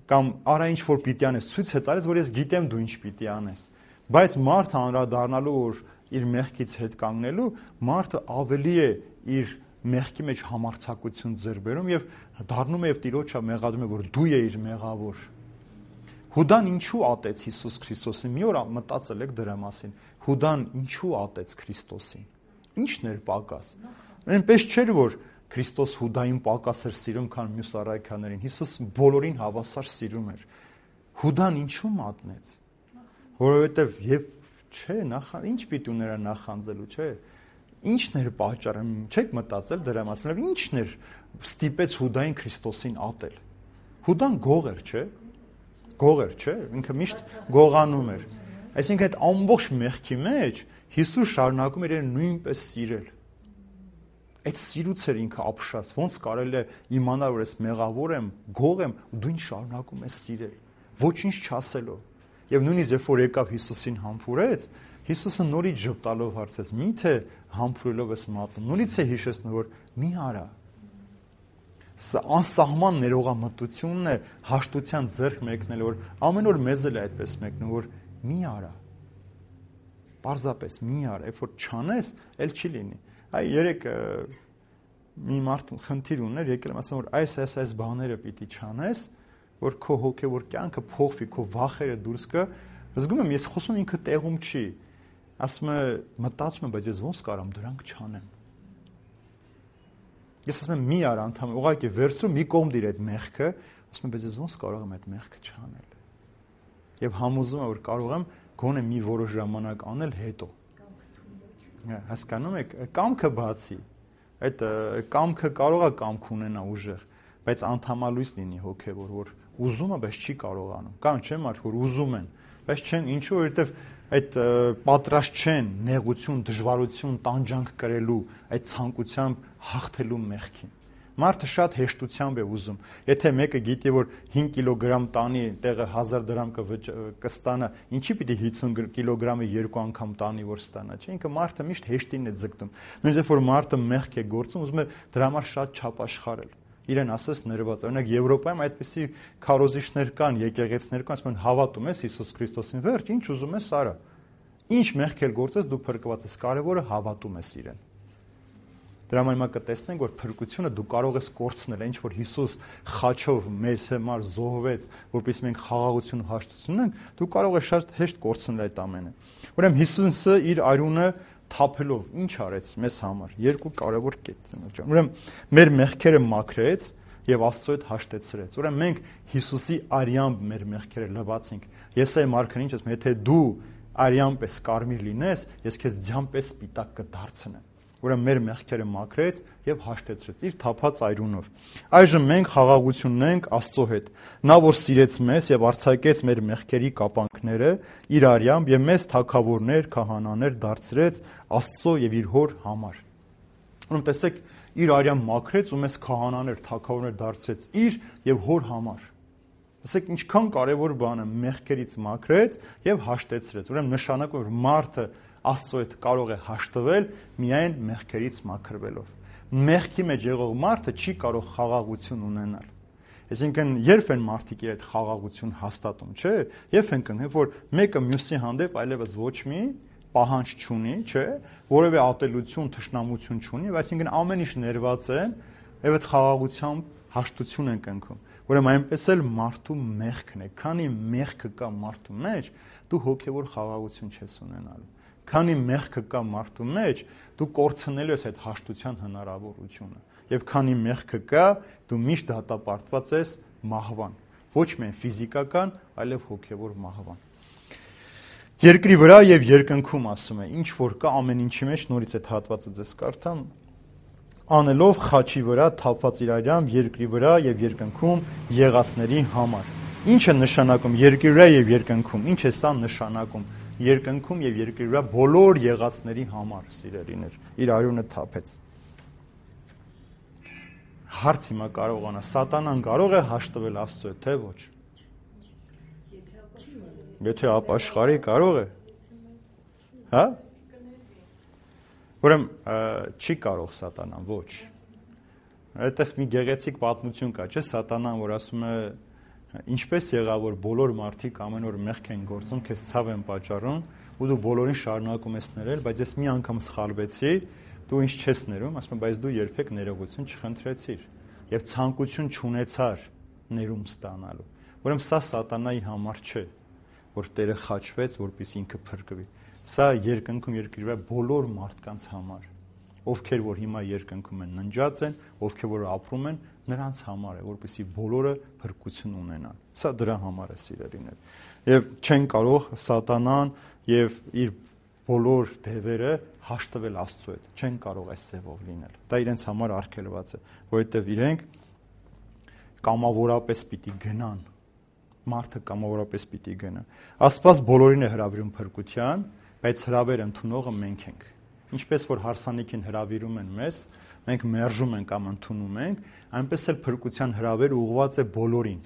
կամ արա ինչ որ պիտի անես, ցույց է տալիս, որ ես գիտեմ դու ինչ պիտի անես։ Բայց մարդը անդրադառնալու, որ իր մեղքից հետ կանգնելու, մարդը ավելի է իր մեղքի մեջ համարձակություն ձեռք բերում եւ դառնում է եւ Տիրոջը մեղադրում է, որ դու ես իր մեղավոր։ Հուդան ինչու ատեց Հիսուս Քրիստոսին։ Մի օր մտածել եք դրա մասին։ Հուդան ինչու ատեց Քրիստոսին։ Ի՞նչն էր պակաս։ Այնպես չէր, որ Քրիստոս Հուդային պակաս էր սիրում, քան մյուս առաքյալներին։ Հիսուս բոլորին հավասար սիրում էր։ Հուդան ինչու մատնեց։ Որովհետև եւ չէ, նախ ինչ պիտի ուներ նախանձելու, չէ։ Ինչն էր պատճառը, չեք մտածել դրա մասին, ինչն էր ստիպեց Հուդային Քրիստոսին ատել։ Հուդան գող էր, չէ։ Գող էր, չէ, ինքը միշտ գողանում էր։ Այսինքն այդ ամբողջ մեղքի մեջ Հիսուս շարունակում էր իրեն նույնպես սիրել։ Այդ սիրուց էր ինքը ապշած, ոնց կարելի է իմանալ, որ ես մեղավոր եմ, գող եմ, ու դու ինձ շարունակում ես սիրել, ոչինչ չասելով։ Եվ նույնիսկ երբ որ եկավ Հիսուսին համբուրեց, Հիսուսը նորից ժպտալով հարցեց. «Միթե համբուրելով ես մատնում»։ Նորից է հիշեցնում, որ մի արա։ Սա անսահման ներողամտությունն է, հաշտության ձեռք մեկնել, որ ամեն օր մեզ էլ է այդպես մեկնում, որ մի արա։ Պարզապես մի արա, երբ որ չանես, էլ չի լինի։ Այ երեք մի մարդ խնդիր ուներ, եկել եմ ասում, որ այս այս այս բաները պիտի չանես, որ քո հոգևոր կյանքը փոխվի, քո վախերը դուրս գա։ Զգում եմ, ես խոսում ինքը տեղում չի։ Ասում է, մտածում եմ, բայց ես ոնց կարամ դրանք չանեմ։ Ես ասում եմ, մի արա անդամ, ուղղակի վերցրու մի կողմ դիր այդ մեղքը, ասում եմ, բայց ես ոնց կարող եմ այդ մեղքը չանել։ Եվ համոզում եմ, որ կարող եմ գոնե մի որոշ ժամանակ անել հետո։ Հասկանում եք, կամքը բացի, այդ կամքը կարող է կամք ունենա ուժեղ, բայց անդամալույս լինի հոգևոր, որ ուզում է, բայց չի կարողանում։ Կան չէ՞ մարդ, որ ուզում են, բայց չեն, ինչու, որովհետև այդ պատրաստ չեն նեղություն, դժվարություն, տանջանք կրելու, այդ ցանկությամբ հաղթելու մեղքին։ Մարդը շատ հեշտությամբ է ուզում։ Եթե մեկը գիտի, որ հինգ կիլոգրամ տանի, տեղը հազար դրամ կստանա, ինչի պիտի հիսուն կիլոգրամը երկու անգամ տանի, որ ստանա, չէ՞։ Ինքը մարդը միշտ հեշտին է ձգտում։ Նույնիսկ որ մարդը մեղք է գործում, ուզում է դրա համար շատ չափ աշխարհել։ Իրեն ասես ներված։ Օրինակ Եվրոպայում այդպիսի քարոզիչներ կան, եկեղեցիներ կան, ասում են հավատում ես Հիսուս Քրիստոսին, վերջ, ինչ ուզում ես արա։ Ինչ մեղք էլ գործես, դու փրկված ես, կարևորը հավատում ես իրեն։ Դրա համար հիմա կտեսնենք, որ փրկությունը դու կարող ես կորցնել, ինչ որ Հիսուս խաչով մեր համար զոհվեց, որպեսզի մենք խաղաղություն ու հաշտություն ունենք, դու կարող ես շատ հեշտ կորցնել այդ ամենը։ Ուրեմն Հիսուսը իր արյունը թափելով ինչ արեց մեզ համար։ Երկու կարևոր կետ է։ Ուրեմն մեր մեղքերը մաքրեց եւ Աստծո հետ հաշտեցրեց։ Ուրեմն մենք Հիսուսի արյամբ մեր մեղքերը լվացինք։ Եսայի մարքն ինչ ասում, եթե դու արյան պես կարմիր լինես, ես քեզ ձյան պես սպիտակ կդարձնեմ։ Ուրեմն մեր մեղքերը մաքրեց եւ հաշտեցրեց իր թափած այրունով։ Այժմ մենք խաղաղություն ունենք Աստծո հետ։ Նա որ սիրեց մեզ եւ արձակեց մեր մեղքերի կապանքները իր արյամբ եւ մեզ թագավորներ, քահանաներ դարձրեց Աստծո եւ իր հոր համար։ Ուրեմն տեսեք, իր արյամբ մաքրեց ու մեզ քահանաներ, թագավորներ դարձրեց իր եւ հոր համար։ Տեսեք, ինչքան կարևոր բան է, մեղքերից մաքրեց եւ հաշտեցրեց։ Ուրեմն նշանակում է, որ մարդը Աստծո հետ կարող է հաշտվել միայն մեղքերից մաքրվելով։ Մեղքի մեջ եղող մարդը չի կարող խաղաղություն ունենալ։ Այսինքն, երբ են մարդիկ իր այդ խաղաղություն հաստատում, չէ՞, երբ են կնգ, որ մեկը մյուսի հանդեպ այլևս ոչ մի պահանջ չունի, չէ՞, որևէ ատելություն, թշնամություն չունի, այսինքն ամեն ինչ ներված է, եւ այդ խաղաղությամբ հաշտություն են կնքում։ Ուրեմն այնպես էլ մարդու մեղքն է, քանի մեղքը կա մարդու մեջ, դու հոգևոր խաղաղություն չես ունենալու։ Քանի մեղքը կա մարդու մեջ, դու կորցնելու ես այդ հաշտության հնարավորությունը։ Եվ քանի մեղքը կա, դու միշտ դատապարտված ես մահվան, ոչ միայն ֆիզիկական, այլև հոգևոր մահվան։ Երկրի վրա եւ երկնքում ասում է, ինչ որ կա ամեն ինչի մեջ, նորից այդ հատվածը ձեզ կարդամ, անելով խաչի վրա թափված իր արյամբ երկրի վրա եւ երկնքում եղածների համար։ Ինչ է նշանակում երկրի վրա եւ երկնքում։ Ինչ է սա նշանակում։ Երկնքում եւ երկրի վրա բոլոր եղածների համար, սիրելիներ, իր արյունը թափեց։ Հարց հիմա կարողանա, սատանան կարող է հաշտվել Աստծո հետ, թե ոչ։ Եթե ապաշխարի կարող է։ Հա? Ուրեմն չի կարող սատանան, ոչ։ Այդպես մի գեղեցիկ պատմություն կա, չէ՞, սատանան, որ ասում է ինչպես եղավ, որ բոլոր մարդիկ ամեն օր մեղք են գործում, քեզ ցավ են պատճառում, ու դու բոլորին շարունակում ես ներել, բայց ես մի անգամ սխալվեցի, դու ինձ չես ներում, ասում եմ, բայց դու երբեք ներողություն չխնդրեցիր եւ ցանկություն չունեցար ներում ստանալու։ Ուրեմն սա սատանայի համար չէ, որ Տերը խաչվեց, որպեսզի ինքը փրկվի։ Սա երկնքում երկրի վրա բոլոր մարդկանց համար, ովքեր որ հիմա երկնքում են, ննջած են, ովքեր որ ապրում են, նրանց համար է, որպեսզի բոլորը փրկություն ունենան։ Սա դրա համար է, սիրելիներ։ Եվ չեն կարող սատանան եւ իր բոլոր դևերը հաշտվել Աստծո հետ, չեն կարող այս ձևով լինել։ Դա իրենց համար արգելված է, որովհետեւ իրենք կամավորապես պիտի գնան։ Մարդը կամավորապես պիտի գնա։ Աստված բոլորին է հրավիրում փրկության, բայց հրավեր ընդունողը մենք ենք։ Ինչպես որ հարսանիքին հրավիրում են մեզ, մենք մերժում ենք կամ ընդունում ենք, այնպես էլ փրկության հրավերը ուղղված է բոլորին։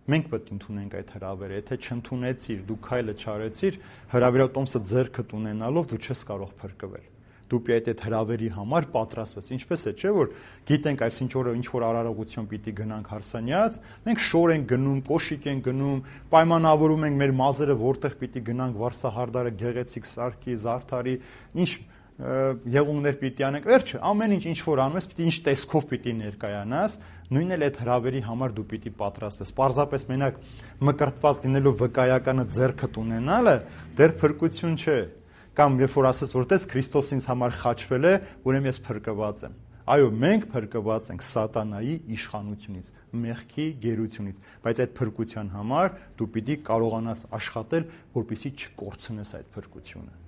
Մենք պետք է ընդունենք այդ հրավերը, եթե չընդունեցիր, դու քայլը չարեցիր, հրավիրատոմսը ձեռքդ ունենալով դու չես կարող փրկվել։ Դու պիտի այդ հրավերի համար պատրաստվես։ Ինչպես է, չէ՞ որ գիտենք այսինչ օրը ինչ որ արարողություն պիտի գնանք հարսանյաց, մենք շոր ենք գնում, կոշիկ ենք գնում, պայմանավորում ենք մեր մազերը որտեղ պիտի գնանք, վարսահարդարը գեղեցիկ սարքի, զարդարի, ինչ եղունգներ պիտի անենք, վերջը ամեն ինչ ինչ որ անում ես, պիտի ինչ տեսքով պիտի ներկայանաս, նույնն էլ այդ հրավերի համար դու պիտի պատրաստվես։ Պարզապես մենակ մկրտված լինելով վկայականը ձեռքդ ունենալը դեռ փրկություն չէ։ Կամ երբ որ ասես, որ տես Քրիստոս ինձ համար խաչվել է, ուրեմն ես փրկված եմ։ Այո, մենք փրկված ենք սատանայի իշխանությունից, մեղքի գերությունից, բայց այդ փրկության համար դու պիտի կարողանաս աշխատել, որպեսզի չկորցնես այդ փրկությունը։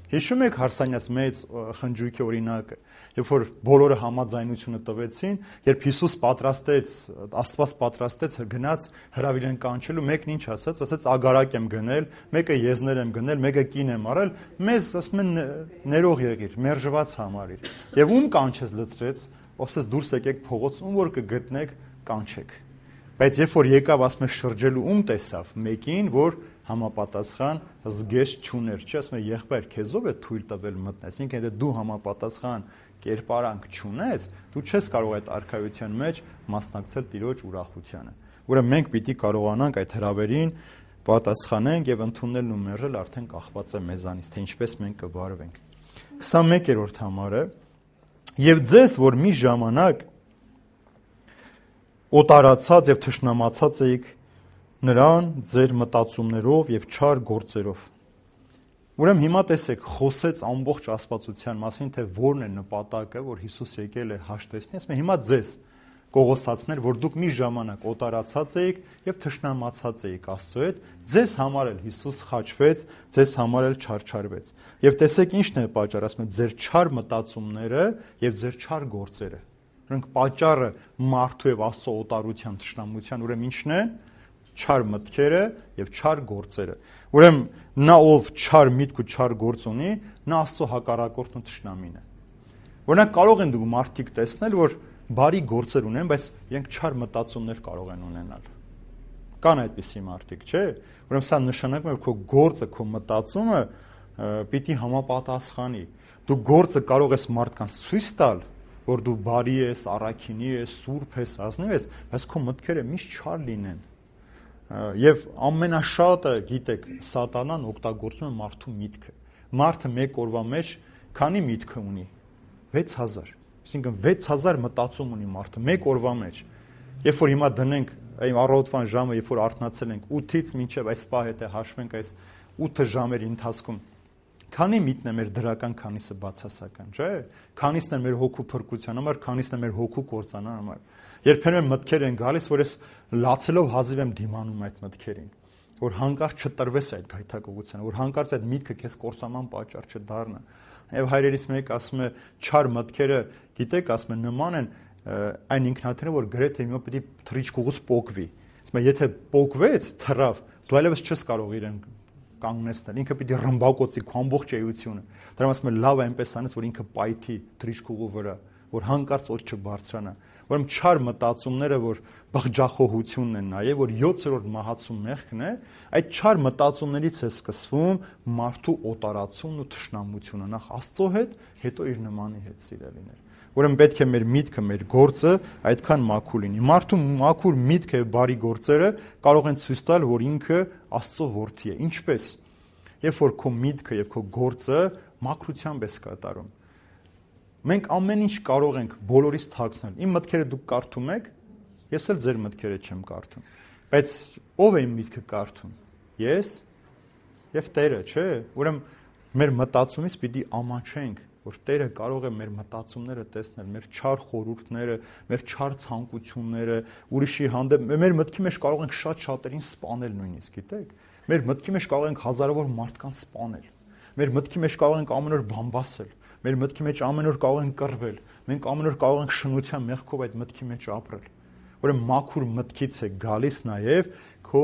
Հիշում եք Հարսանյաց մեծ խնջույքի օրինակը, երբ որ բոլորը համաձայնությունը տվեցին, երբ Հիսուս պատրաստեց, Աստված պատրաստեց գնաց հրավիրեն կանչելու, մեկն ինչ ասաց, ասաց ագարակ եմ գնել, մեկը եզներ եմ գնել, մեկը կին եմ արել, մեզ ասում են ներող եղիր, մերժված համարիր։ Եվ ում կանչեց լծրեց, ասաց դուրս եկեք փողոց, ում որ կգտնեք, կանչեք։ Բայց երբ որ եկավ, ասում է շրջելու ում տեսավ, մեկին, որ համապատասխան զգեստ չուներ, չի ասում է եղբայր, քեզով է թույլ տվել մտնես, ինքն եթե դու համապատասխան կերպարանք չունես, դու չես կարող այդ արքայության մեջ մասնակցել Տիրոջ ուրախությանը։ Ուրեմն մենք պիտի կարողանանք այդ հրավերին պատասխանենք եւ ընդունելն ու մերժել արդեն կախված է մեզանից, թե ինչպես մենք կվարվենք։ քսանմեկերորդ համարը եւ ձեզ, որ մի ժամանակ օտարացած եւ թշնամացած էիք նրան ձեր մտածումներով եւ չար գործերով։ Ուրեմն հիմա տեսեք, խոսեց ամբողջ աստվածության մասին, թե որն է նպատակը, որ Հիսուս եկել է հաշտեցնի, ասում է հիմա ձեզ կողոսացնել, որ դուք մի ժամանակ օտարացած էիք եւ թշնամացած էիք Աստծո հետ, ձեզ համար էլ Հիսուս խաչվեց, ձեզ համար էլ չարչարվեց։ Եվ տեսեք ինչն է պատճառը, ասում է ձեր չար մտածումները եւ ձեր չար գործերը։ Նրանք պատճառը մարդու եւ Աստծո օտարության, թշնամության, ուրեմն ինչն է, չար մտքերը եւ չար գործերը։ Ուրեմն նա ով չար միտք ու չար գործ ունի, նա Աստծո հակառակորդն ու թշնամին է։ Օրինակ կարող են դու մարդիկ տեսնել, որ բարի գործեր ունեն, բայց իրենք չար մտածումներ կարող են ունենալ։ Կան այդպիսի մարդիկ, չէ՞։ Ուրեմն սա նշանակում է, որ քո գործը, քո մտածումը պիտի համապատասխանի։ Դու գործը կարող ես մարդկանց ցույց տալ, որ դու բարի ես, առաքինի ես, սուրբ ես, ազնիվ ես, բայց քո մտքերը միշտ չար լինեն։ Եվ ամենաշատը, գիտեք, սատանան օգտագործում է մարդու միտքը։ Մարդը մեկ օրվա մեջ քանի միտք ունի։ վեց հազար։ Այսինքն վեց հազար մտածում ունի մարդը մեկ օրվա մեջ։ Երբ որ հիմա դնենք այն առավոտվան ժամը, երբ որ արթնացել ենք ութից մինչև այս պահ հետը հաշվենք այս ութ ժամերի ընթացքում, քանի միտն է մեր դրական, քանիսը բացասական, չէ՞։ Քանիսն է մեր հոգու փրկության համար, քանիսն է մեր հոգու կործանան համար։ Երբեմն մտքեր են գալիս, որ ես լացելով հազիվ եմ դիմանում այդ մտքերին, որ հանկարծ չտրվես այդ գայթակղությանը, որ հանկարծ այդ միտքը քեզ կործանման պատճառ չդառնա։ Եվ հայրերից մեկը ասում է, չար մտքերը, գիտեք, ասում է, նման են այն ինքնաթիռը, որ գրեթե հիմա պետք է թռիչքուղուց պոկվի։ Ասում է, եթե պոկվեց, թռավ, դու այլևս չես կարող իրեն կանգնեցնել, ինքը պիտի ռմբակոծի քո ամբողջ էությունը։ Դրա ասում է լավ այնպես անես, որ ինքը պայթի թռիչքուղու վրա, որ հանկարծ օդ չբարձրանա։ Ուրեմն չար մտածումները, որ բղջախոհությունն են նաև, որ յոթերորդ մահացու մեղքն է, այդ չար մտածումներից է սկսվում մարդու օտարացումն ու թշնամությունը, նախ Աստծո հետ, հետո իր նմանի հետ, սիրելիներ։ Ուրեմն պետք է մեր միտքը, մեր գործը այդքան մաքուր լինի։ Մարդու մաքուր միտքը եւ բարի գործերը կարող են ցույց տալ, որ ինքը Աստծո որդի է։ Ինչպես։ Երբ որ քո միտքը եւ քո գործը մաքրությամբ ես կատարում։ Մենք ամեն ինչ կարող ենք բոլորից թաքցնել։ Իմ մտքերը դուք կարդում եք, ես էլ ձեր մտքերը չեմ կարդում։ Բայց ով է իմ միտքը կարդում։ Ես եւ Տերը, չէ՞։ Ուրեմն մեր մտածումից պիտի ամանչենք, որ Տերը կարող է մեր մտածումները տեսնել, մեր չար խորհուրդները, մեր չար ցանկությունները, ուրիշի հանդեպ մեր մտքի մեջ կարող ենք շատ շատերին սպանել նույնիսկ, գիտեք։ Մեր մտքի մեջ կարող ենք հազարավոր մարդկանց սպանել։ Մեր մտքի մեջ կարող ենք ամեն օր բամբասել։ Մեր մտքի մեջ ամեն օր կարող ենք կռվել։ Մենք ամեն օր կարող ենք շնության մեղքով այդ մտքի մեջ ապրել։ Ուրեմն մաքուր մտքից է գալիս նաև քո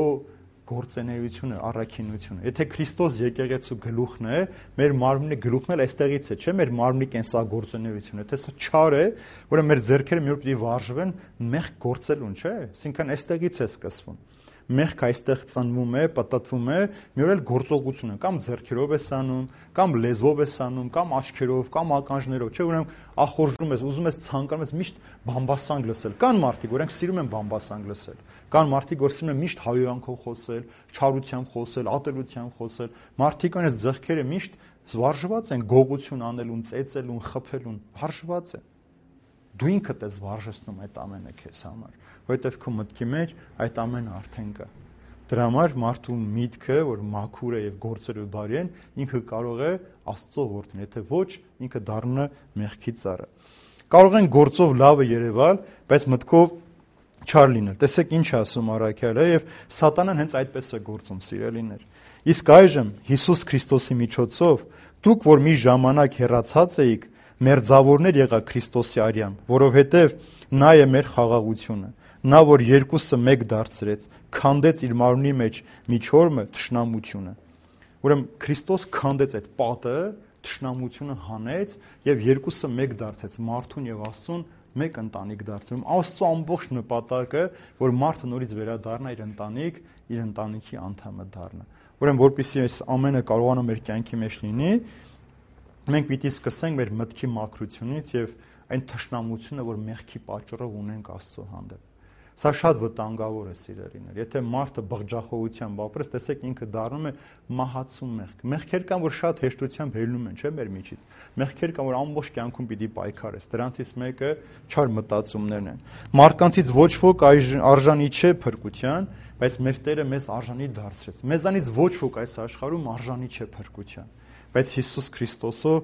գործունեությունը, առաքինությունը։ Եթե Քրիստոս եկեղեցու գլուխն է, մեր մարմնի գլուխն էլ այստեղից է, չէ՞, մեր մարմնի կենսագործունեությունը։ Եթե սա չար է, ուրեմն մեր ձեռքերը մի օր պիտի վարժվեն մեղք գործելուն, չէ՞։ Այսինքն այստեղից է սկսվում։ Մեղքը այստեղ ծնվում է, պատտվում է, մի օր էլ գործողությունը կամ ձեռքերով ես անում, կամ լեզվով ես անում, կամ աչքերով, կամ ականջներով, չէ՞, ուրեմն ախորժում ես, ուզում ես ցանկանում ես միշտ բամբասանք լսել։ Կան մարդիկ, որոնք սիրում են բամբասանք լսել։ Կան մարդիկ, որ սիրում են միշտ հայոյանքով խոսել, չարությամբ խոսել, ատելությամբ խոսել։ Մարդիկ այնպես ձեռքերը միշտ զվարժված են գողություն անելուն, ծեծելուն, խփելուն, վարժված են։ Դու ինքդ ես վարժեցնում այդ ամենը քեզ համար, որովհետև քո մտքի մեջ այդ ամենը արդեն կա։ Դրա համար մարդու միտքը, որ մաքուր է եւ գործերը բարի են, ինքը կարող է Աստծո որդին, եթե ոչ, ինքը դառնա մեղքի ծառը։ Կարող են գործով լավը երևալ, բայց մտքով չար լինել։ Տեսեք ինչ ասում առաքյալը, եւ սատանան հենց այդպես է գործում, սիրելիներ։ Իսկ այժմ Հիսուս Քրիստոսի միջոցով դուք, որ մի ժամանակ հեռացած էիք, մերձավորներ եղաք Քրիստոսի արյամբ, որովհետև նա է մեր խաղաղությունը, նա, որ երկուսը մեկ դարձրեց, քանդեց իր մարմնի մեջ միջորմը, թշնամությունը։ Ուրեմն Քրիստոս քանդեց այդ պատը, թշնամությունը հանեց եւ երկուսը մեկ դարձեց, մարդուն եւ Աստծուն մեկ ընտանիք դարձնում։ Աստծո ամբողջ նպատակը, որ մարդը նորից վերադառնա իր ընտանիք, իր ընտանիքի անդամը դառնա։ Ուրեմն որպեսզի այս ամենը կարողանա մեր կյանքի մեջ լինի, մենք պիտի սկսենք մեր մտքի մաքրությունից եւ այն թշնամությունը, որ մեղքի պատճառով ունենք Աստծո հանդեպ։ Սա շատ վտանգավոր է, սիրելիներ։ Եթե մարդը բղջախոհությամբ ապրես, տեսեք ինքը դառնում է մահացու մեղք։ Մեղքեր կան, որ շատ հեշտությամբ հելնում են, չէ՞, մեր միջից։ Մեղքեր կան, որ ամբողջ կյանքում պիտի պայքարես։ Դրանցից մեկը չար մտածումներն են։ Մարդկանցից ոչ ոք արժանի չէ փրկության, բայց մեր Տերը մեզ արժանի դարձրեց։ Մեզանից ոչ ոք այս աշխարհում արժանի չէ փրկության, բայց Հիսուս Քրիստոսով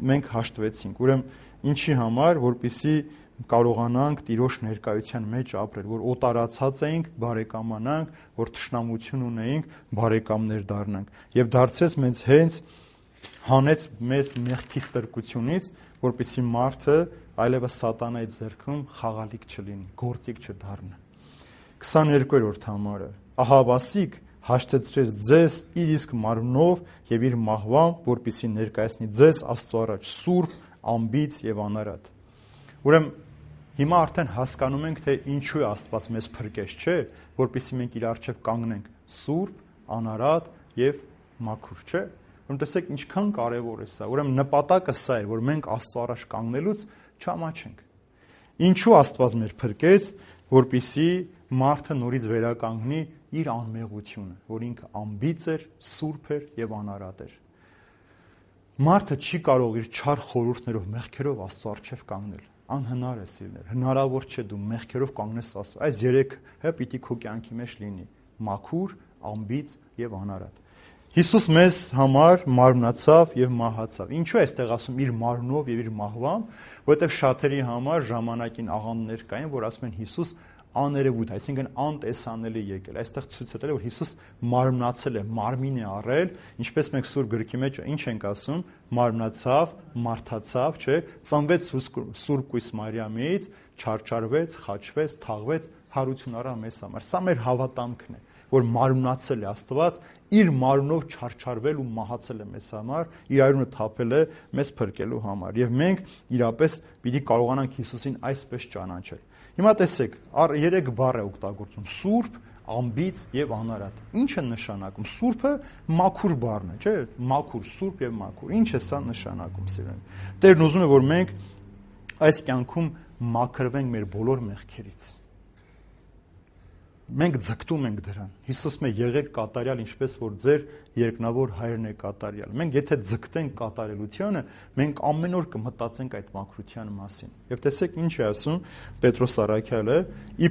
մենք հաշտվեցինք։ Ուրեմն ինչի համար, որպեսզի կարողանանք Տիրոջ ներկայության մեջ ապրել, որ օտարացած էինք, բարեկամանանք, որ թշնամություն ունեինք, բարեկամներ դառնանք։ Եվ դարձրեց մեզ հենց հանեց մեզ մեղքի ստրկությունից, որպեսզի մարդը այլևս սատանայի ձեռքում խաղալիք չլինի, գործիք չդառնա։ քսաներկուերորդ համարը ահավասիկ հաշտեցրեց ձեզ իր իսկ մարմնով եւ իր մահվամբ, որպեսզի ներկայացնի ձեզ Աստծո առաջ սուրբ, անբիծ եւ անարատ։ Ուրեմն հիմա արդեն հասկանում ենք, թե ինչու է Աստված մեզ փրկեց, չէ՞, որպեսզի մենք իր առջև կանգնենք սուրբ, անարատ եւ մաքուր, չէ՞։ Ուրեմն տեսեք ինչքան կարեւոր է սա։ Ուրեմն նպատակը սա է, որ մենք Աստծո առաջ կանգնելուց չամաչենք։ Ինչու Աստված մեր փրկեց, որպեսզի մարդը նորից վերականգնի իր անմեղությունը, որ ինքը անբիծ էր, սուրբ էր եւ անարատ էր։ Մարդը չի կարող իր չար խորհուրդներով, մեղքերով Աստծո առջև կանգնել։ Անհնար է, սիրելիներ, հնարավոր չէ դու մեղքերով կանգնես Աստծո։ Այս երեքը պիտի քո կյանքի մեջ լինի՝ մաքուր, անբիծ եւ անարատ։ Հիսուս մեզ համար մարմնացավ եւ մահացավ։ Ինչու է այստեղ ասում իր մարմնով եւ իր մահվամբ, որովհետեւ շատերի համար ժամանակին աղանդներ կային, որ ասում են Հիսուս աներևույթ, այսինքն անտեսանելի եկել։ Այստեղ ցույց է տալի, որ Հիսուս մարմնացել է, մարմին է առել, ինչպես մենք Սուրբ գրքի մեջ ինչ ենք ասում, մարմնացավ, մարդացավ, չէ, ծնվեց Սուրբ Կույս Մարիամից, չարչարվեց, խաչվեց, թաղվեց, հարություն առավ մեզ համար։ Սա մեր հավատամքն է, որ մարմնացել է Աստված, իր մարմնով չարչարվել ու մահացել է մեզ համար, իր արյունը թափել է մեզ փրկելու համար։ Եվ մենք իրապես պիտի կարողանանք Հիսուսին այսպես ճանաչել։ Հիմա տեսեք, երեք բառ է օգտագործում՝ սուրբ, անբիծ եւ անարատ։ Ինչ է նշանակում։ Սուրբը մաքուր բառն է, չէ՞։ Մաքուր, սուրբ եւ մաքուր։ Ինչ է սա նշանակում, սիրելիներ։ Տերն ուզում է, որ մենք այս կյանքում մաքրվենք մեր բոլոր մեղքերից։ Մենք ձգտում ենք դրան։ Հիսուսը մե եղեք կատարյալ, ինչպես որ ձեր երկնավոր հայրն է կատարյալ։ Մենք եթե ձգտենք կատարելությանը, մենք ամեն օր կմտածենք այդ մաքրության մասին։ Եվ տեսեք ինչ է ասում Պետրոս առաքյալը.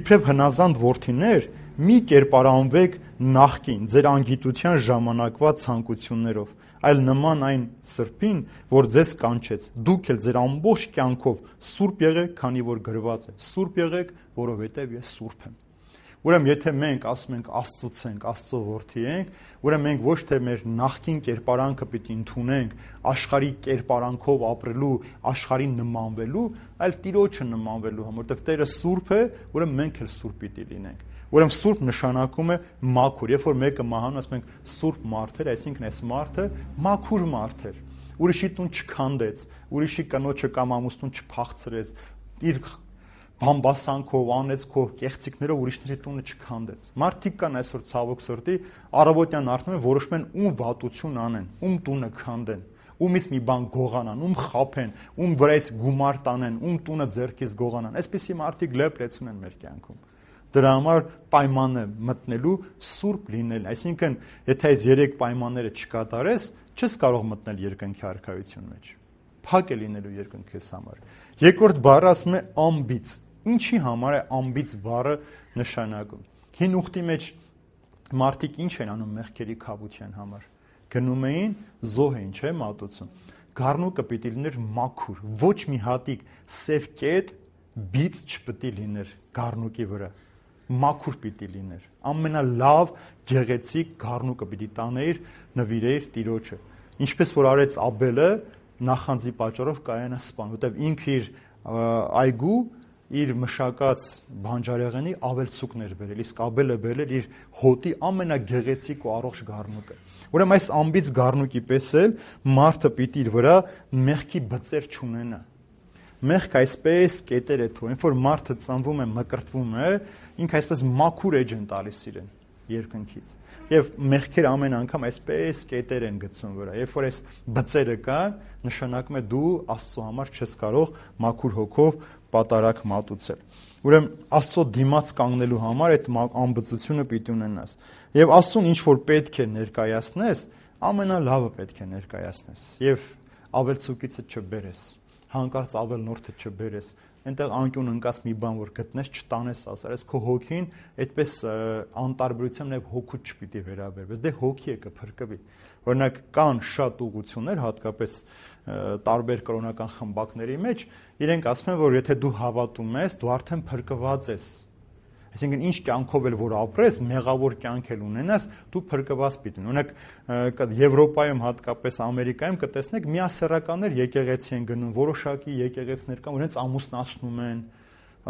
«Իբրև հնազանդ որդիներ, մի կերպարանվեք նախկին ձեր անգիտության ժամանակվա ցանկություններով, այլ նման այն սրբին, որ ձեզ կանչեց, դուք էլ ձեր ամբողջ կյանքով սուրբ եղեք, քանի որ գրված է. սուրբ եղեք, որովհետև ես սուրբ եմ»։ Ուրեմն եթե մենք ասում ենք Աստծուց ենք, Աստծո որդի ենք, ուրեմն մենք ոչ թե մեր նախկին կերպարանքը պիտի ընդունենք, աշխարհի կերպարանքով ապրելու, աշխարհին նմանվելու, այլ Տիրոջը նմանվելու համար, որովհետև Տերը սուրբ է, ուրեմն մենք էլ սուրբ պիտի լինենք։ Ուրեմն սուրբ նշանակում է մաքուր։ Երբ որ մեկը մահանում, ասում ենք սուրբ մարդ էր, այսինքն այս մարդը մաքուր մարդ էր։ Ուրիշի տուն չքանդեց, ուրիշի կնոջը կամ ամուսնուն չփախցրեց, իր բամբասանքով, անեծքով, կեղծիքներով ուրիշների տունը չքանդեց։ Մարդիկ կան այսօր ցավոք սրտի, առավոտյան արդեն որոշում են ում վատություն անեն, ում տունը քանդեն, ումից մի բան գողանան, ում խափեն, ում վրայից գումար տանեն, ում տունը ձեռքից գողանան։ Այսպիսի մարդիկ լեփ-լեցուն են մեր կյանքում։ Դրա համար պայմանը մտնելու սուրբ լինել, այսինքն եթե այս երեք պայմանները չկատարես, չես կարող մտնել երկնքի արքայություն մեջ։ Փակ է լինելու երկնքես համար։ Երկրորդ բառը ասում է անբիծ։ Ինչի համար է անբիծ բառը նշանակում։ Հին ուխտի մեջ մարդիկ ինչ են անում մեղքերի քավության համար։ Գնում էին զոհ էին, չէ՞, մատուցում։ գառնուկը պիտի լիներ մաքուր, ոչ մի հատիկ սև կետ բիծ չպիտի լիներ գառնուկի վրա, մաքուր պիտի լիներ, ամենալավ գեղեցիկ գառնուկը պիտի տաներ, նվիրեիր Տիրոջը, ինչպես որ արեց Աբելը նախանձի պատճառով Կայանը սպան, որտեղ ինքը իր այգու իր մշակած բանջարեղենի ավելցուկներ բերել, իսկ Աբելը բերել իր հոտի ամենագեղեցիկ ու առողջ գառնուկը։ Ուրեմն այս ամբից գառնուկի պես էլ մարդը պիտի իր վրա մեղքի բծեր չունենա։ Մեղք այսպես կետեր է թողնում, որ մարդը ծնվում է, մկրտվում է, ինքը այսպես մաքուր էջ են տալիս իրեն երկնքից։ Եվ մեղքերը ամեն անգամ այսպես կետեր են գցում վրա։ Երբ որ այս բծերը կան, նշանակում է դու Աստծո համար չես կարող մաքուր հոգով պատարակ մատուցել։ Ուրեմն Աստծո դիմաց կանգնելու համար այդ անբծությունը պիտի ունենաս։ Եվ Աստծուն ինչ որ պետք է ներկայացնես, ամենալավը պետք է ներկայացնես։ Եվ ավելցուկիցը չբերես, հանկարծ ավելնորդը չբերես, այնտեղ անկյուն ընկած մի բան որ գտնես չտանես ասես, քո հոգին այդպես անտարբերությամբ նաև հոգուց չպիտի վերաբերվես, դե հոգի է կփրկվի։ Օրինակ կան շատ ուղղություններ, հատկապես տարբեր կրոնական խմբակների մեջ, իրենք ասում են, որ եթե դու հավատում ես, դու արդեն փրկված ես։ Այսինքն ինչ կյանքով էլ որ ապրես, մեղավոր կյանք էլ ունենաս, դու փրկված պիտի ունենաս։ Օրինակ Եվրոպայում, հատկապես Ամերիկայում կտեսնեք միասեռականներ եկեղեցի են գնում, որոշակի եկեղեցիներ կան, որոնց ամուսնացնում են,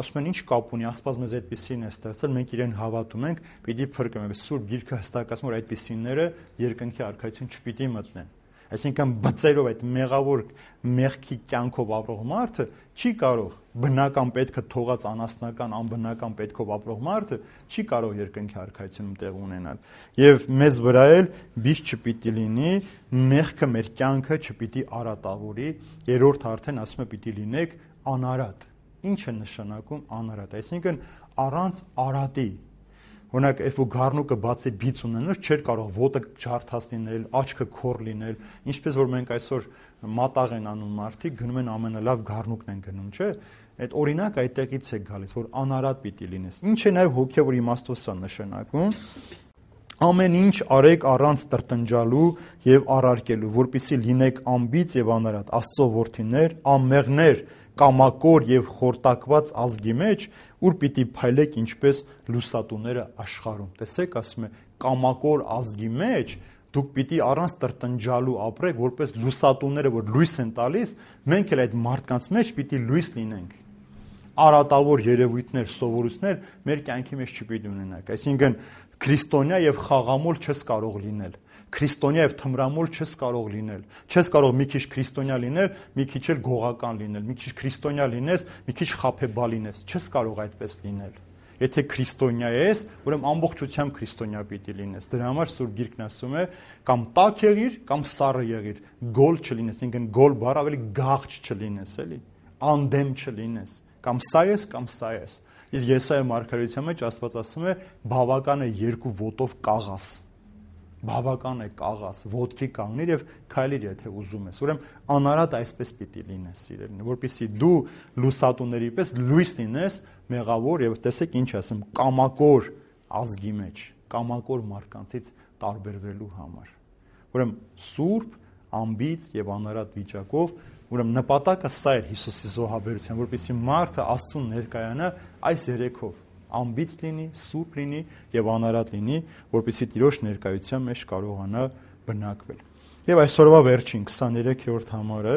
ասում են ինչ կապ ունի, Աստված մեզ այդպեսին է ստեղծել, մենք իրեն հավատում ենք, պիտի փրկվենք։ Սուրբ Գիրքը հստակացնում որ այդպեսիները երկնքի արքայություն չպիտի մտնեն։ Այսինքն բծերով այդ մեղավոր մեղքի կյանքով ապրող մարդը չի կարող բնական պետքը թողած անասնական անբնական պետքով ապրող մարդը չի կարող երկնքի արքայությունում տեղ ունենալ։ Եվ մեզ վրա էլ բիժ չպիտի լինի, մեղքը մեր կյանքը չպիտի արատավորի, երրորդ արդեն ասում է պիտի լինեք անարատ։ Ինչ է նշանակում անարատ, այսինքն առանց արատի։ Օրինակ, երբ որ գառնուկը բացի բիծ ունենար, չէր կարող ոտը ջարդած լինել, աչքը քոր լինել, ինչպես որ մենք այսօր մատաղ են անում մարդիկ, գնում են ամենալավ գառնուկն են գնում, չէ՞։ Այդ օրինակ այդտեղից է գալիս, որ անարատ պիտի լինես։ Ինչ է նաև հոգևոր իմաստոսը նշանակում։ Ամեն ինչ արեք առանց տրտնջալու եւ առարկելու, որպեսզի լինեք անբիծ եւ անարատ, Աստծո որդիներ, անմեղներ, կամակոր եւ խորտակված ազգի մեջ, ուր պիտի փայլեք ինչպես լուսատուները աշխարհում։ Տեսեք, ասում է, կամակոր ազգի մեջ դուք պիտի առանց տրտնջալու ապրեք, որպես լուսատուները, որ լույս են տալիս, մենք էլ այդ մարդկանց մեջ պիտի լույս լինենք։ Արատավոր երևույթներ, սովորույթներ մեր կյանքի մեջ չպիտի ունենանք։ Այսինքն քրիստոնյա եւ խաղամոլ չես կարող լինել։ Քրիստոնյա եւ թմրամոլ չես կարող լինել։ Չես կարող մի քիչ քրիստոնյա լինել, մի քիչ էլ գողական լինել, մի քիչ քրիստոնյա լինես, մի քիչ խաբեբա լինես։ Չես կարող այդպես լինել։ Եթե քրիստոնյա ես, ուրեմն ամբողջությամբ քրիստոնյա պիտի լինես։ Դրա համար Սուրբ Գիրքն ասում է, կամ տաք եղիր, կամ սառը եղիր, գոլ չլինես, ինքն գոլ բառ ավելի գաղճ չլինես, էլի, անդեմ չլինես, կամ սա ես, կամ սա ես։ Իսկ Եսայա մարգարեության մեջ Աստված ասում է, բավական է երկու ոտով կաղաս։ Բավական է կաղաս, ոտքի կանգնիր եւ քայլիր, եթե ուզում ես։ Ուրեմն անարատ այսպես պիտի լինես, սիրելին, որպեսզի դու լուսատուների պես լույս լինես մեղավոր եւ տեսեք ինչ ասեմ, կամակոր ազգի մեջ, կամակոր մարդկանցից տարբերվելու համար։ Ուրեմն սուրբ, անբիծ եւ անարատ վիճակով, ուրեմն նպատակը սա էր Հիսուսի զոհաբերության, որպեսզի մարդը Աստծուն ներկայանա այս երեքով, անբիծ լինի, սուրբ լինի եւ անարատ լինի, որպեսզի Տիրոջ ներկայության մեջ կարողանա բնակվել։ Եվ այսօրվա վերջին քսաներեքերորդ համարը.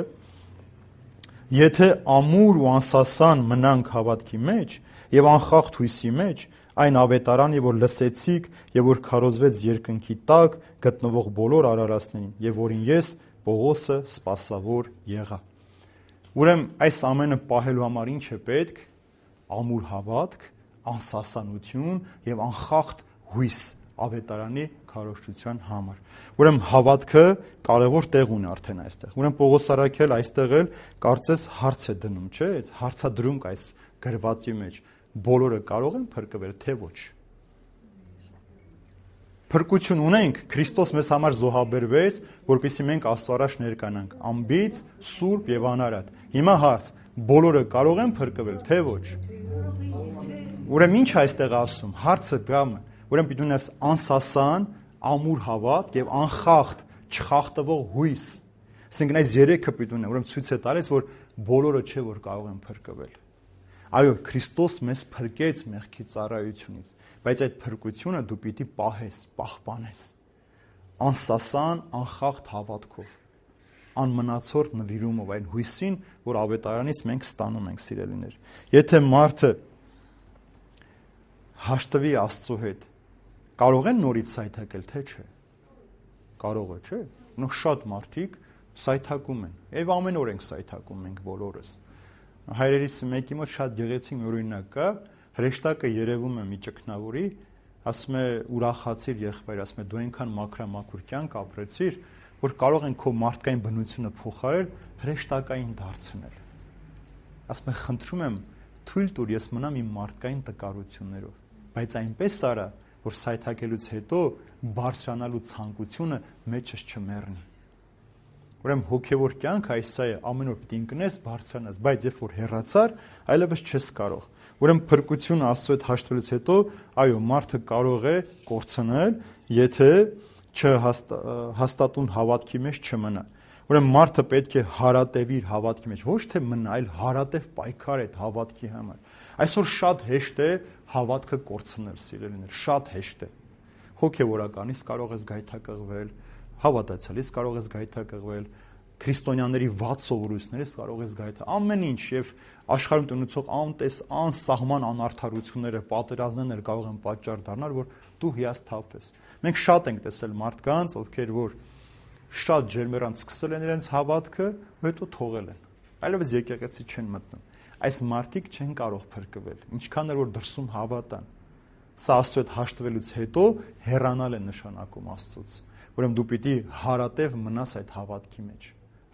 Եթե ամուր ու անսասան մնանք հավատքի մեջ եւ անխախտ հույսի մեջ, այն ավետարանի, որ լսեցիք եւ որ քարոզվեց երկնքի տակ գտնվող բոլոր արարածներին, եւ որին ես Պողոսը սպասավոր եղա։ Ուրեմն այս ամենը պահելու համար ինչ է պետք։ Ամուր հավատք, անսասանություն եւ անխախտ հույս ավետարանի քարոզչության համար։ Ուրեմն հավատքը կարևոր տեղ ունի արդեն այստեղ։ Ուրեմն Պողոս առաքյալ այստեղ էլ կարծես հարց է դնում, չէ՞, այս հարցադրում կա այս գրվածի մեջ։ Բոլորը կարող են փրկվել, թե ոչ։ Փրկություն ունենք, Քրիստոս մեզ համար զոհաբերվեց, որպեսզի մենք Աստծո առաջ ներկայանանք անբիծ, սուրբ եւ անարատ։ Հիմա հարց. բոլորը կարող են փրկվել, թե ոչ։ Ուրեմն ինչ այստեղ ասում, հարցը դրամը, ուրեմն պիտի ունես անսասան, ամուր հավատք եւ անխախտ, չխախտվող հույս, Այսինքն այս երեքը պիտի ունեն, ուրեմն ցույց է տալիս, որ բոլորը չէ, որ կարող են փրկվել։ Այո, Քրիստոս մեզ փրկեց մեղքի ծառայությունից, բայց այդ փրկությունը դու պիտի պահես, պահպանես անսասան, անխախտ հավատքով, անմնացորդ նվիրումով այն հույսին, որ ավետարանից մենք ստանում ենք, սիրելիներ։ Եթե մարդը հաշտվի Աստծո հետ, կարող են նորից սայթակել, թե չէ։ Կարող է, չէ։ Նո շատ մարդիկ սայթակում են, եւ ամեն օր ենք սայթակում մենք բոլորս։ Հայրերիս մեկի մոտ շատ գեղեցիկ մի օրինակ կա, հրեշտակը երևում է մի ճգնավորի, ասում է ուրախացիր եղբայր, ասում է դու այնքան մաքրամաքուր կյանք ապրեցիր, որ կարող են քո մարդկային բնությունը փոխարել, հրեշտակային դարձնել։ Ասում է խնդրում եմ, թույլ տուր ես մնամ իմ մարդկային տկարություններով, բայց այնպես արա, որ սայթակելուց հետո բարձրանալու ցանկությունը մեջս չմեռնի։ Ուրեմն հոգևոր կյանքը այսա է, ամեն օր պիտի ընկնես, բարձրանաս, բայց երբ որ հեռացար, այլևս չես կարող։ Ուրեմն փրկությունը Աստծո հետ հաշտվելուց հետո, այո, մարդը կարող է կորցնել, եթե չհաստատուն հավատքի մեջ չմնա։ Ուրեմն մարդը պետք է հարատևի իր հավատքի մեջ, ոչ թե մնա, այլ հարատև պայքար այդ հավատքի համար։ Այսօր շատ հեշտ է հավատքը կորցնել, սիրելիներ, շատ հեշտ է։ Հոգևորականից կարող ես գայթակղվել, հավատացյալից կարող ես գայթակղվել, քրիստոնյաների վատ սովորույթներից կարող ես գայթակղվել, ամեն ինչ եւ աշխարհում տնուցող անտես անսահման անարդարությունները, պատերազմներն կարող են պատճառ դառնալ, որ դու հիասթափվես։ Մենք շատ ենք տեսել մարդկանց, ովքեր որ շատ ջերմեռանց սկսել են իրենց հավատքը, հետո թողել են։ Այլևս եկեղեցի չեն մտնում։ Այս մարդիկ չեն կարող փրկվել, ինչքան էլ որ դրսում հավատան։ Սա Աստծո հետ հաշտվելուց հետո հեռանալ է նշանակում Աստծոց։ Ուրեմն դու պիտի հարատև մնաս այդ հավատքի մեջ։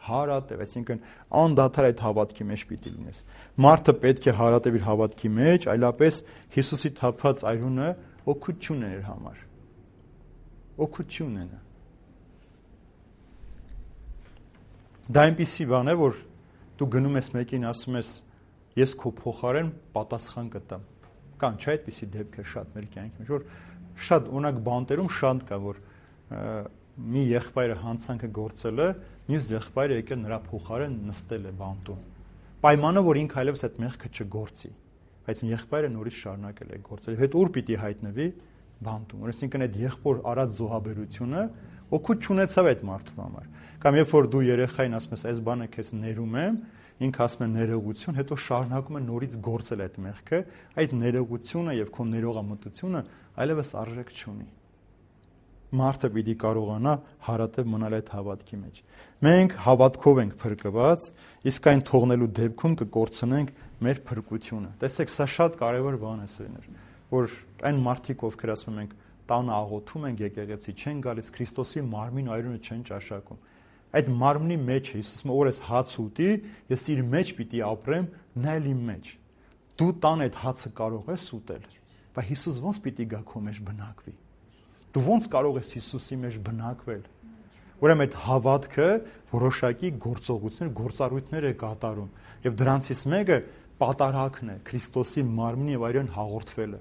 Հարատև, այսինքն անդադար այդ հավատքի մեջ պիտի լինես։ Մարդը պետք է հարատև իր հավատքի մեջ, այլապես Հիսուսի թափած այրունը օգուտություն է իր համար։ Օգուտություն է։ Դա այնպիսի բան է, որ դու գնում ես մեկին, ասում ես, ես քո փոխարեն պատասխան կտամ։ Կան չէ այդպիսի դեպքեր շատ մեր կյանքի մեջ, որ շատ օրինակ բանտերում շատ կա, որ մի եղբայրը հանցանքը գործել է, մյուս եղբայրը եկել նրա փոխարեն նստել է բանտում։ Պայմանը, որ ինքը այլևս այդ մեղքը չգործի, բայց եղբայրը նորից շարունակել է գործել։ Հետ ուր պիտի հայտնվի բանտում։ Այսինքն այդ եղբոր արած զոհաբերությունը օգուտ չունեցավ այդ մարդու համար։ Կամ երբ որ դու երեխային ասում ես, այս բանը քեզ ներում եմ, ինքը ասում է ներողություն, հետո շարունակում է նորից գործել այդ մեղքը, այդ ներողությունը եւ քո ներողամտությունը այլևս արժեք չունի։ Մարդը պիտի կարողանա հարատև մնալ այդ հավատքի մեջ։ Մենք հավատքով ենք փրկված, իսկ այն թողնելու դեպքում կկորցնենք մեր փրկությունը։ Տեսեք, սա շատ կարևոր բան է, սերներ, որ այն մարդիկ, ովքեր ասում ենք, տանը աղոթում ենք, եկեղեցի չեն գալիս, Քրիստոսի մարմին այրունը չեն ճաշակում։ Այդ մարմնի մեջ է, Հիսուսը օրես հաց ուտի, ես իր մեջ պիտի ապրեմ, նա էլ իմ մեջ։ Դու տան այդ հացը կարող ես ուտել, բայց Հիսուս ոնց պիտի գա քո մեջ բնակվի։ Դու ոնց կարող ես Հիսուսի մեջ բնակվել։ Ուրեմն այդ հավատքը որոշակի գործողություններ, գործառույթներ է կատարում, եւ դրանցից մեկը պատարակն է, Քրիստոսի մարմնի եւ այրեն հաղորդվելը։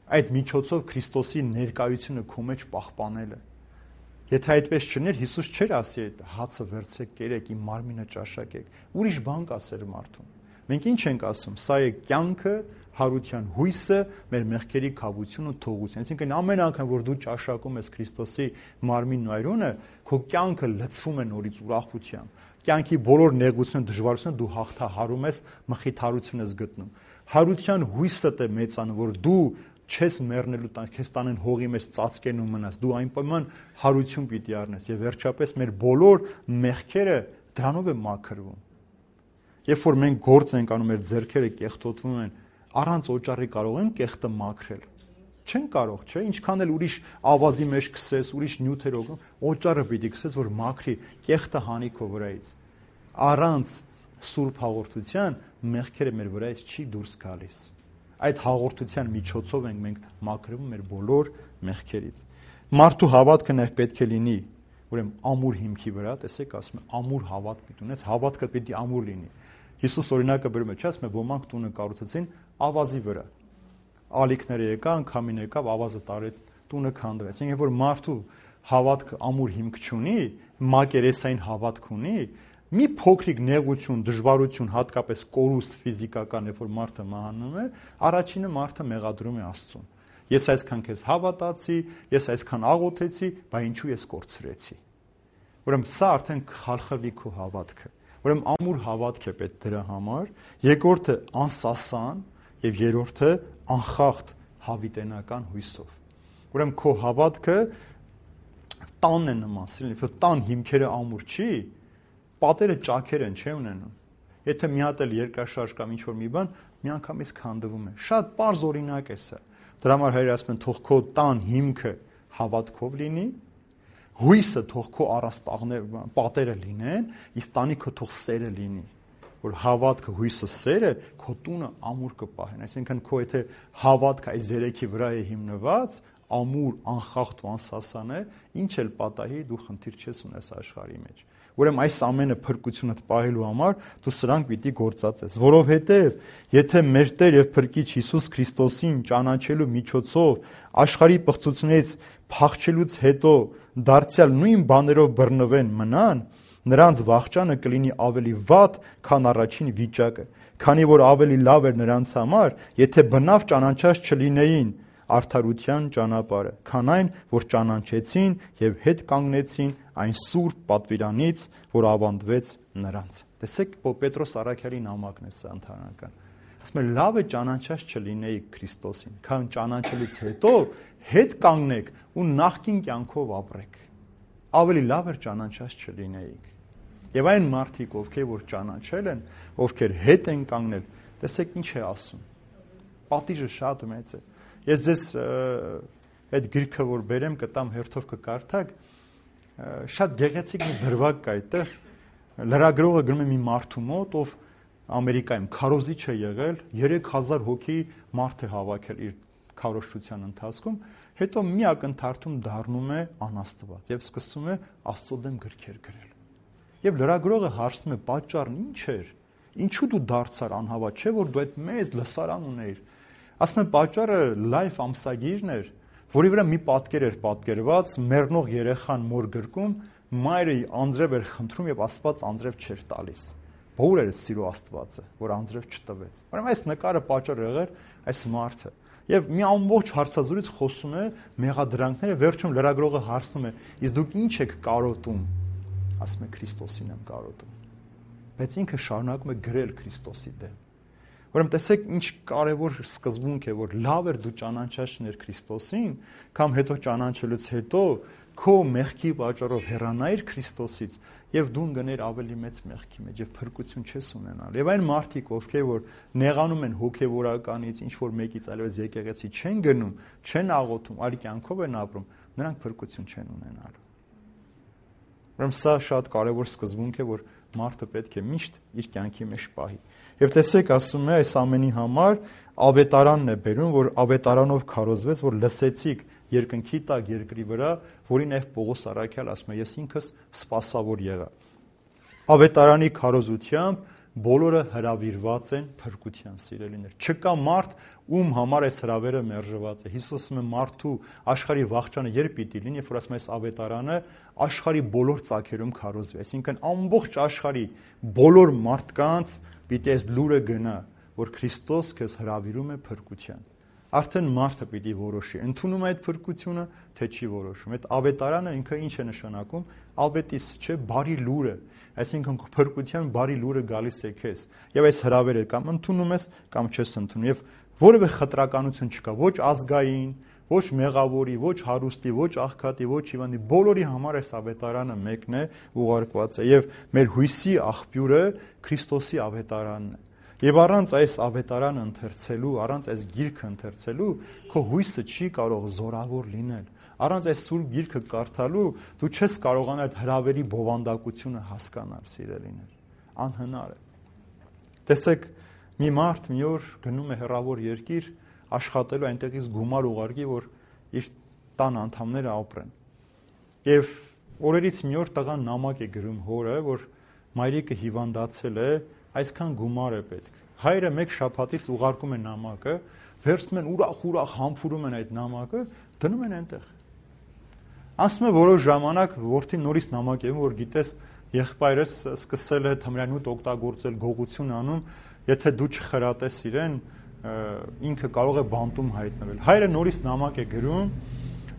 Այդ միջոցով Քրիստոսի ներկայությունը քո մեջ պահպանելը։ Եթե այդպես չներ, Հիսուս չէր ասի այդ հացը վերցրեք, կերեք, իմ մարմինը ճաշակեք։ Ուրիշ բան կասեր մարդուն։ Մենք ինչ ենք ասում, սա է կյանքը, հարության հույսը, մեր մեղքերի քավությունը, թողությունը։ Այսինքն ամեն անգամ, որ դու ճաշակում ես Քրիստոսի մարմինն ու այրունը, քո կյանքը լցվում է նորից ուրախությամբ։ Կյանքի բոլոր նեղությունը, դժվարությունը դու հաղթահարում ես, մխիթարություն ես գտնում։ Հարության հույսը դե մեծանում, որ դու չես մեռնելու տան, քեզ տանեն հողի մեջ ծածկեն ու մնաս, դու այնպայման հարություն պիտի առնես եւ վերջապես մեր բոլոր մեղքերը դրանով է մաքրվում։ Երբ որ մենք գործ ենք անում, մեր ձեռքերը կեղտոտվում են, առանց օճառի կարող են կեղտը մաքրել։ Չեն կարող, չէ՞, ինչքան էլ ուրիշ ավազի մեջ քսես, ուրիշ նյութերով, օճառը պիտի քսես, որ մաքրի, կեղտը հանի քո վրայից։ Առանց սուրբ հաղորդության մեղքերը մեր վրայից չի դուրս գալիս։ Այդ հաղորդության միջոցով ենք մենք մաքրվում մեր բոլոր մեղքերից։ Մարդու հավատքը նաև պետք է լինի, ուրեմն ամուր հիմքի վրա, տեսեք, ասում է ամուր հավատ պիտի ունես, հավատքը պիտի ամուր լինի։ Հիսուս օրինակը բերում է, չէ՞, ասում է ոմանք տունը կառուցեցին ավազի վրա։ Ալիքները եկան, քամին եկավ, ավազը տարեց, տունը քանդվեց։ Այսինքն, երբ որ մարդու հավատքը ամուր հիմք չունի, մակերեսային հավատք ունի, մի փոքրիկ նեղություն, դժվարություն, հատկապես կորուստ ֆիզիկական, երբ որ մարդը մահանում է, առաջինը մարդը մեղադրում է Աստծուն։ Ես այսքան քեզ հավատացի, ես այսքան աղոթեցի, բայց ինչու ես կորցրեցի։ Ուրեմն սա արդեն խալխլվի քո հավատքը։ Ուրեմն ամուր հավատք է պետք դրա համար, երկրորդը անսասան եւ երրորդը անխախտ հավիտենական հույսով։ Ուրեմն քո հավատքը տանն է նման, սիրելի, որ տան հիմքերը ամուր չի, պատերը ճաքեր են, չէ՞ ունենում։ Եթե մի հատ էլ երկրաշարժ կամ ինչ-որ մի բան, միանգամից քանդվում է։ Շատ པարզ օրինակ է սա։ Դրա համար հայրը ասում են, թող քո տան հիմքը հավատքով լինի, հույսը թող քո առաստաղները, պատերը լինեն, իսկ տանիքը թող սերը լինի, որ հավատքը, հույսը, սերը քո տունը ամուր կպահեն։ Այսինքն քո եթե հավատքը այս երեքի վրա է հիմնված, ամուր, անխախտ ու անսասան է, ինչ էլ պատահի, դու խնդիր չես ունես աշխարհի մեջ։ Ուրեմն այս ամենը փրկությունդ պահելու համար դու սրանք պիտի գործածես, որովհետև եթե մեր Տեր եւ Փրկիչ Հիսուս Քրիստոսին ճանաչելու միջոցով աշխարհի պղծությունից փախչելուց հետո դարձյալ նույն բաներով բռնվեն մնան, նրանց վախճանը կլինի ավելի վատ, քան առաջին վիճակը, քանի որ ավելի լավ էր նրանց համար, եթե բնավ ճանաչած չլինեին արդարության ճանապարհը, քան այն, որ ճանաչեցին եւ հետ կանգնեցին այն սուրբ պատվիրանից, որ ավանդվեց նրանց։ Տեսեք, Պետրոս Առաքյալի նամակն է սա ընդհանրական։ Ասում է, լավ է ճանաչած չլինեիք Քրիստոսին, քան ճանաչելուց հետո հետ կանգնեք ու նախկին կյանքով ապրեք։ Ավելի լավ էր ճանաչած չլինեիք։ Եվ այն մարդիկ, ովքեր որ ճանաչել են, ովքեր հետ են կանգնել, տեսեք ինչ է ասում։ Պատիժը շատ մեծ է։ Ես ձեզ այդ գրքը որ բերեմ, կտամ հերթով կկարդակ, շատ գեղեցիկ մի դրվագ կա այդտեղ։ Լրագրողը գնում է մի մարդու մոտ, ով Ամերիկայում քարոզիչ է եղել, երեք հազար հոգի մարդ է հավաքել իր քարոզչության ընթացքում, հետո մի ակնթարթում դառնում է անաստված եւ սկսում է Աստծո դեմ գրքեր գրել։ Եվ լրագրողը հարցնում է, պատճառն ինչ էր։ Ինչու դու դարձար անհավատ, չէ՞ որ դու այդ մեծ լսարան ունեիր։ Ասում են, պատճառը լայվ ամսագիրն էր, որի վրա մի պատկեր էր պատկերված, մեռնող երեխան մոր գրկում, մայրը անձրև էր խնդրում եւ Աստված անձրև չէր տալիս։ Ո՞ր էր սիրո Աստվածը, որ անձրև չտվեց։ Ուրեմն այս նկարը պատճառ եղեր այս մարդը։ Եվ մի ամբողջ հարցազրույց խոսում է մեղադրանքները, վերջում լրագրողը հարցնում է, իսկ դուք ինչ եք կարոտում։ Ասում է, Քրիստոսին եմ կարոտում։ Բայց ինքը շարունակում է գրել Քրիստոսի դեմ։ Ուրեմն տեսեք ինչ կարևոր սկզբունք է, որ լավ էր դու ճանաչաշներ Քրիստոսին, կամ հետո ճանաչելուց հետո քո մեղքի պատճառով հեռանայր Քրիստոսից եւ դու ընկներ ավելի մեծ մեղքի մեջ եւ փրկություն չես ունենալ։ Եվ այն մարդիկ, ովքեր որ նեղանում են հոգեվորականից, ինչ որ մեկից այլևս եկեղեցի չեն գնում, չեն աղոթում, այլ կյանքով են ապրում, նրանք փրկություն չեն ունենալու։ Ուրեմն սա շատ կարևոր սկզբունք է, որ մարդը պետք է միշտ իր կյանքի մեջ պահի։ Եվ տեսեք, ասում է, այս ամենի համար ավետարանն է բերում, որ ավետարանով քարոզվեց, որ լսեցիք երկնքի տակ երկրի վրա, որին այլ Պողոս Առաքյալ ասում է, ես ինքս սպասավոր եղա։ Ավետարանի քարոզությամբ բոլորը հրավիրված են փրկության, սիրելիներ։ Չկա մարդ, ում համար այս հրավերը մերժված է։ Հիսուսը ասում է, մարդու աշխարհի վախճանը երբ պիտի լինի, երբ որ ասում է, այս ավետարանը աշխարհի բոլոր ծագերում քարոզվի։ Այսինքն ամբողջ աշխարհի բոլոր մարդկանց պիտի այս լուրը գնա, որ Քրիստոս քեզ հրավիրում է փրկության։ Արդեն մարդը պիտի որոշի, ընդունում այդ փրկությունը, թե չի որոշում։ Այդ ավետարանը ինքը ինչ է նշանակում, ալբետիս, չէ, բարի լուրը, այսինքն փրկության բարի լուրը գալիս է քեզ։ Եվ այս հրավերը կամ ընդունում ես, կամ չես ընդունում։ Եվ որևէ խտրականություն չկա, ոչ ազգային, ոչ մեղավորի, ոչ հարուստի, ոչ աղքատի, ոչ հիվանդի, բոլորի համար այս ավետարանը մեկն է, ուղարկված է։ Եվ մեր հույսի աղբյուրը Քրիստոսի ավետարանն է։ Եվ առանց այս ավետարանը ընթերցելու, առանց այս գիրքը ընթերցելու, քո հույսը չի կարող զորավոր լինել։ Առանց այս սուրբ գիրքը կարդալու դու չես կարողանալ այդ հրավերի բովանդակությունը հասկանալ, սիրելիներ։ Անհնար է։ Տեսեք, մի մարդ մի օր գնում է հեռավոր երկիր, աշխատելու այնտեղից գումար ուղարկի, որ իր տան անդամները ապրեն։ Եվ օրերից մի օր տղան նամակ է գրում հորը, որ մայրիկը հիվանդացել է, այսքան գումար է պետք։ Հայրը մեկ շաբաթից ուղարկում է նամակը, վերցնում են ուրախ-ուրախ համբուրում են այդ նամակը, դնում են այնտեղ։ Անցնում է որոշ ժամանակ, որդին նորից նամակ է, որ գիտես, եղբայրս սկսել է թմրանյութ օգտագործել, գողություն անում, եթե դու չխրատես իրեն, ինքը կարող է բանտում հայտնվել։ Հայրը նորից նամակ է գրում,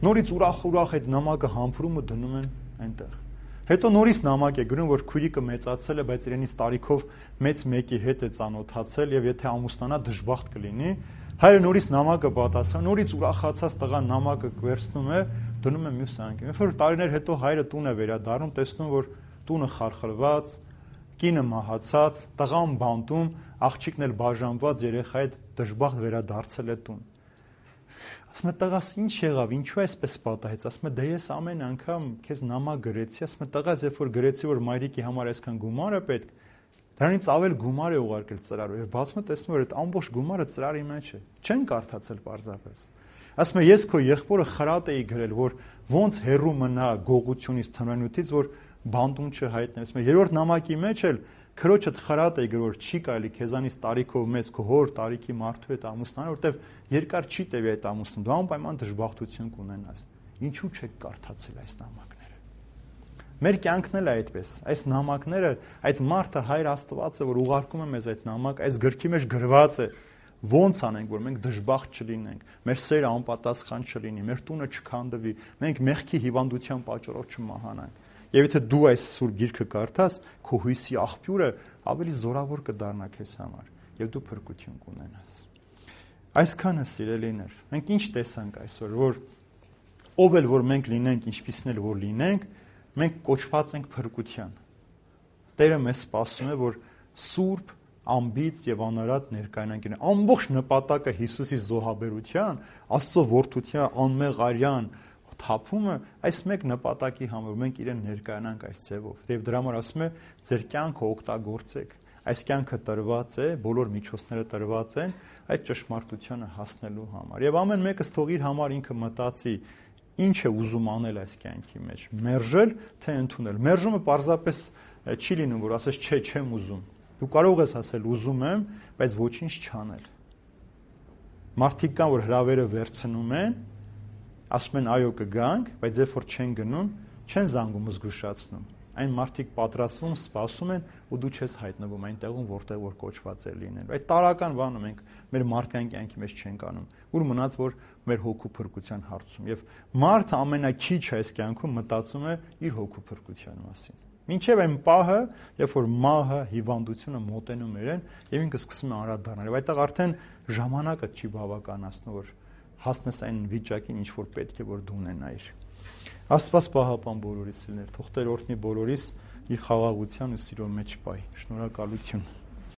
նորից ուրախ-ուրախ այդ նամակը համբուրում ու դնում են այնտեղ։ Հետո նորից նամակ է գրում, որ քույրիկը մեծացել է, բայց իրենից տարիքով մեծ մեկի հետ է ծանոթացել եւ եթե ամուսնանա դժբախտ կլինի։ Հայրը նորից նամակը պատասխան, նորից ուրախացած տղան նամակը վերցնում է, դնում է մյուս անկյուն։ Երբ որ տարիներ հետո հայրը տուն է վերադառնում, տեսնում որ տունը խարխլված, կինը մահացած, տղան բանտում, աղջիկն էլ բաժանված, երեխայի հետ դժբախտ վերադարձել է տուն։ Ասում է տղաս ինչ եղավ, ինչու այսպես պատահեց, ասում է դե ես ամեն անգամ քեզ նամակ գրեցի, ասում է տղաս երբ որ գրեցի որ մայրիկի համար այսքան գումար է պետք, դրանից ավել գումար է ուղարկել ծրարով, եւ բացում է տեսնում որ այդ ամբողջ գումարը ծրարի մեջ է, չեն կարդացել պարզապես։ Ասում է ես քո եղբորը խրատ էի գրել, որ ոնց հերու մնա գողությունից, թմրանյութից, որ բանտում չհայտնի։ Ասում է երրորդ նամակի մեջ էլ քրոջդ խրատ է գրել, որ չի կարելի քեզանից տարիքով մեծ քո հոր տարիքի մարդու հետ ամուսնանալ, որտեվ երկար չի տևի այդ ամուսնուն, դու անպայման դժբախտություն կունենաս։ Ինչու չեք կարդացել այս նամակները։ Մեր կյանքն էլ է այդպես։ Այս նամակները, այդ մարդը Հայր Աստվածը, որ ուղարկում է մեզ այդ նամակ, այս գրքի մեջ գրված է, ոնց անենք, որ մենք դժբախտ չլինենք, մեր սերը անպատասխան չլինի, մեր տունը չքանդվի, մենք մեղքի հիվանդության պատճառով չմահանանք։ Եվ եթե դու այս սուր գիրքը կարդաս, քո հույսի աղբյուրը ավելի զորավոր կդառնա քեզ համար, եւ դու փրկություն կունենաս։ Այսքանը սիրելիներ, մենք ինչ տեսանք այսօր, որ ով էլ որ մենք լինենք, ինչպիսին էլ որ լինենք, մենք կոչված ենք փրկության։ Տերը մեզ սպասում է, որ սուրբ, ամբից եւ անարատ ներկայանանք։ Ամբողջ նպատակը Հիսուսի զոհաբերության, Աստծո որդության անմեղ արյան թափումը այս մեկ նպատակի համար մենք իրեն ներկայանանք այս ձևով։ Եվ դրա համար ասում է, ձեր կյանքը օգտագործեք։ Այս կյանքը տրված է, բոլոր միջոցները տրված են այդ ճշմարտությանը հասնելու համար։ Եվ ամեն մեկը թող իր համար ինքը մտածի, ինչ է ուզում անել այս կյանքի մեջ, մերժել թե ընդունել։ Մերժումը պարզապես չի լինում, որ ասես չէ, չեմ ուզում։ Դու կարող ես ասել ուզում եմ, բայց ոչինչ չանել։ Մարդիկ կան, որ հրավերը վերցնում են, ասում են այո կգանք, բայց երբ որ չեն գնում, չեն զանգում զգուշացնում։ Այն մարդիկ պատրաստվում, սպասում են ու դու չես հայտնվում այն տեղում, որտեղ որ կոչված է լինել։ Այդ տարական բանը մենք մեր մարդկային կյանքի մեջ չենք անում։ Ուր մնաց որ մեր հոգու փրկության հարցում։ Եվ մարդը ամենակիչը այս կյանքում մտածում է իր հոգու փրկության մասին։ Մինչև այն պահը, երբ որ մահը, հիվանդությունը մոտենում իրեն, եւ ինքը սկսում է անդրադառնալ։ Եվ այդտեղ արդեն ժամանակը չի բավականացնում, որ հասնես այն վիճակին, ինչ որ պետք է որ դու ունենայիր։ Աստված պահապան բոլորիս, թող Տեր օրհնի բոլորիս իր խաղաղության ու սիրո մեջ պահի։ Շնորհակալություն։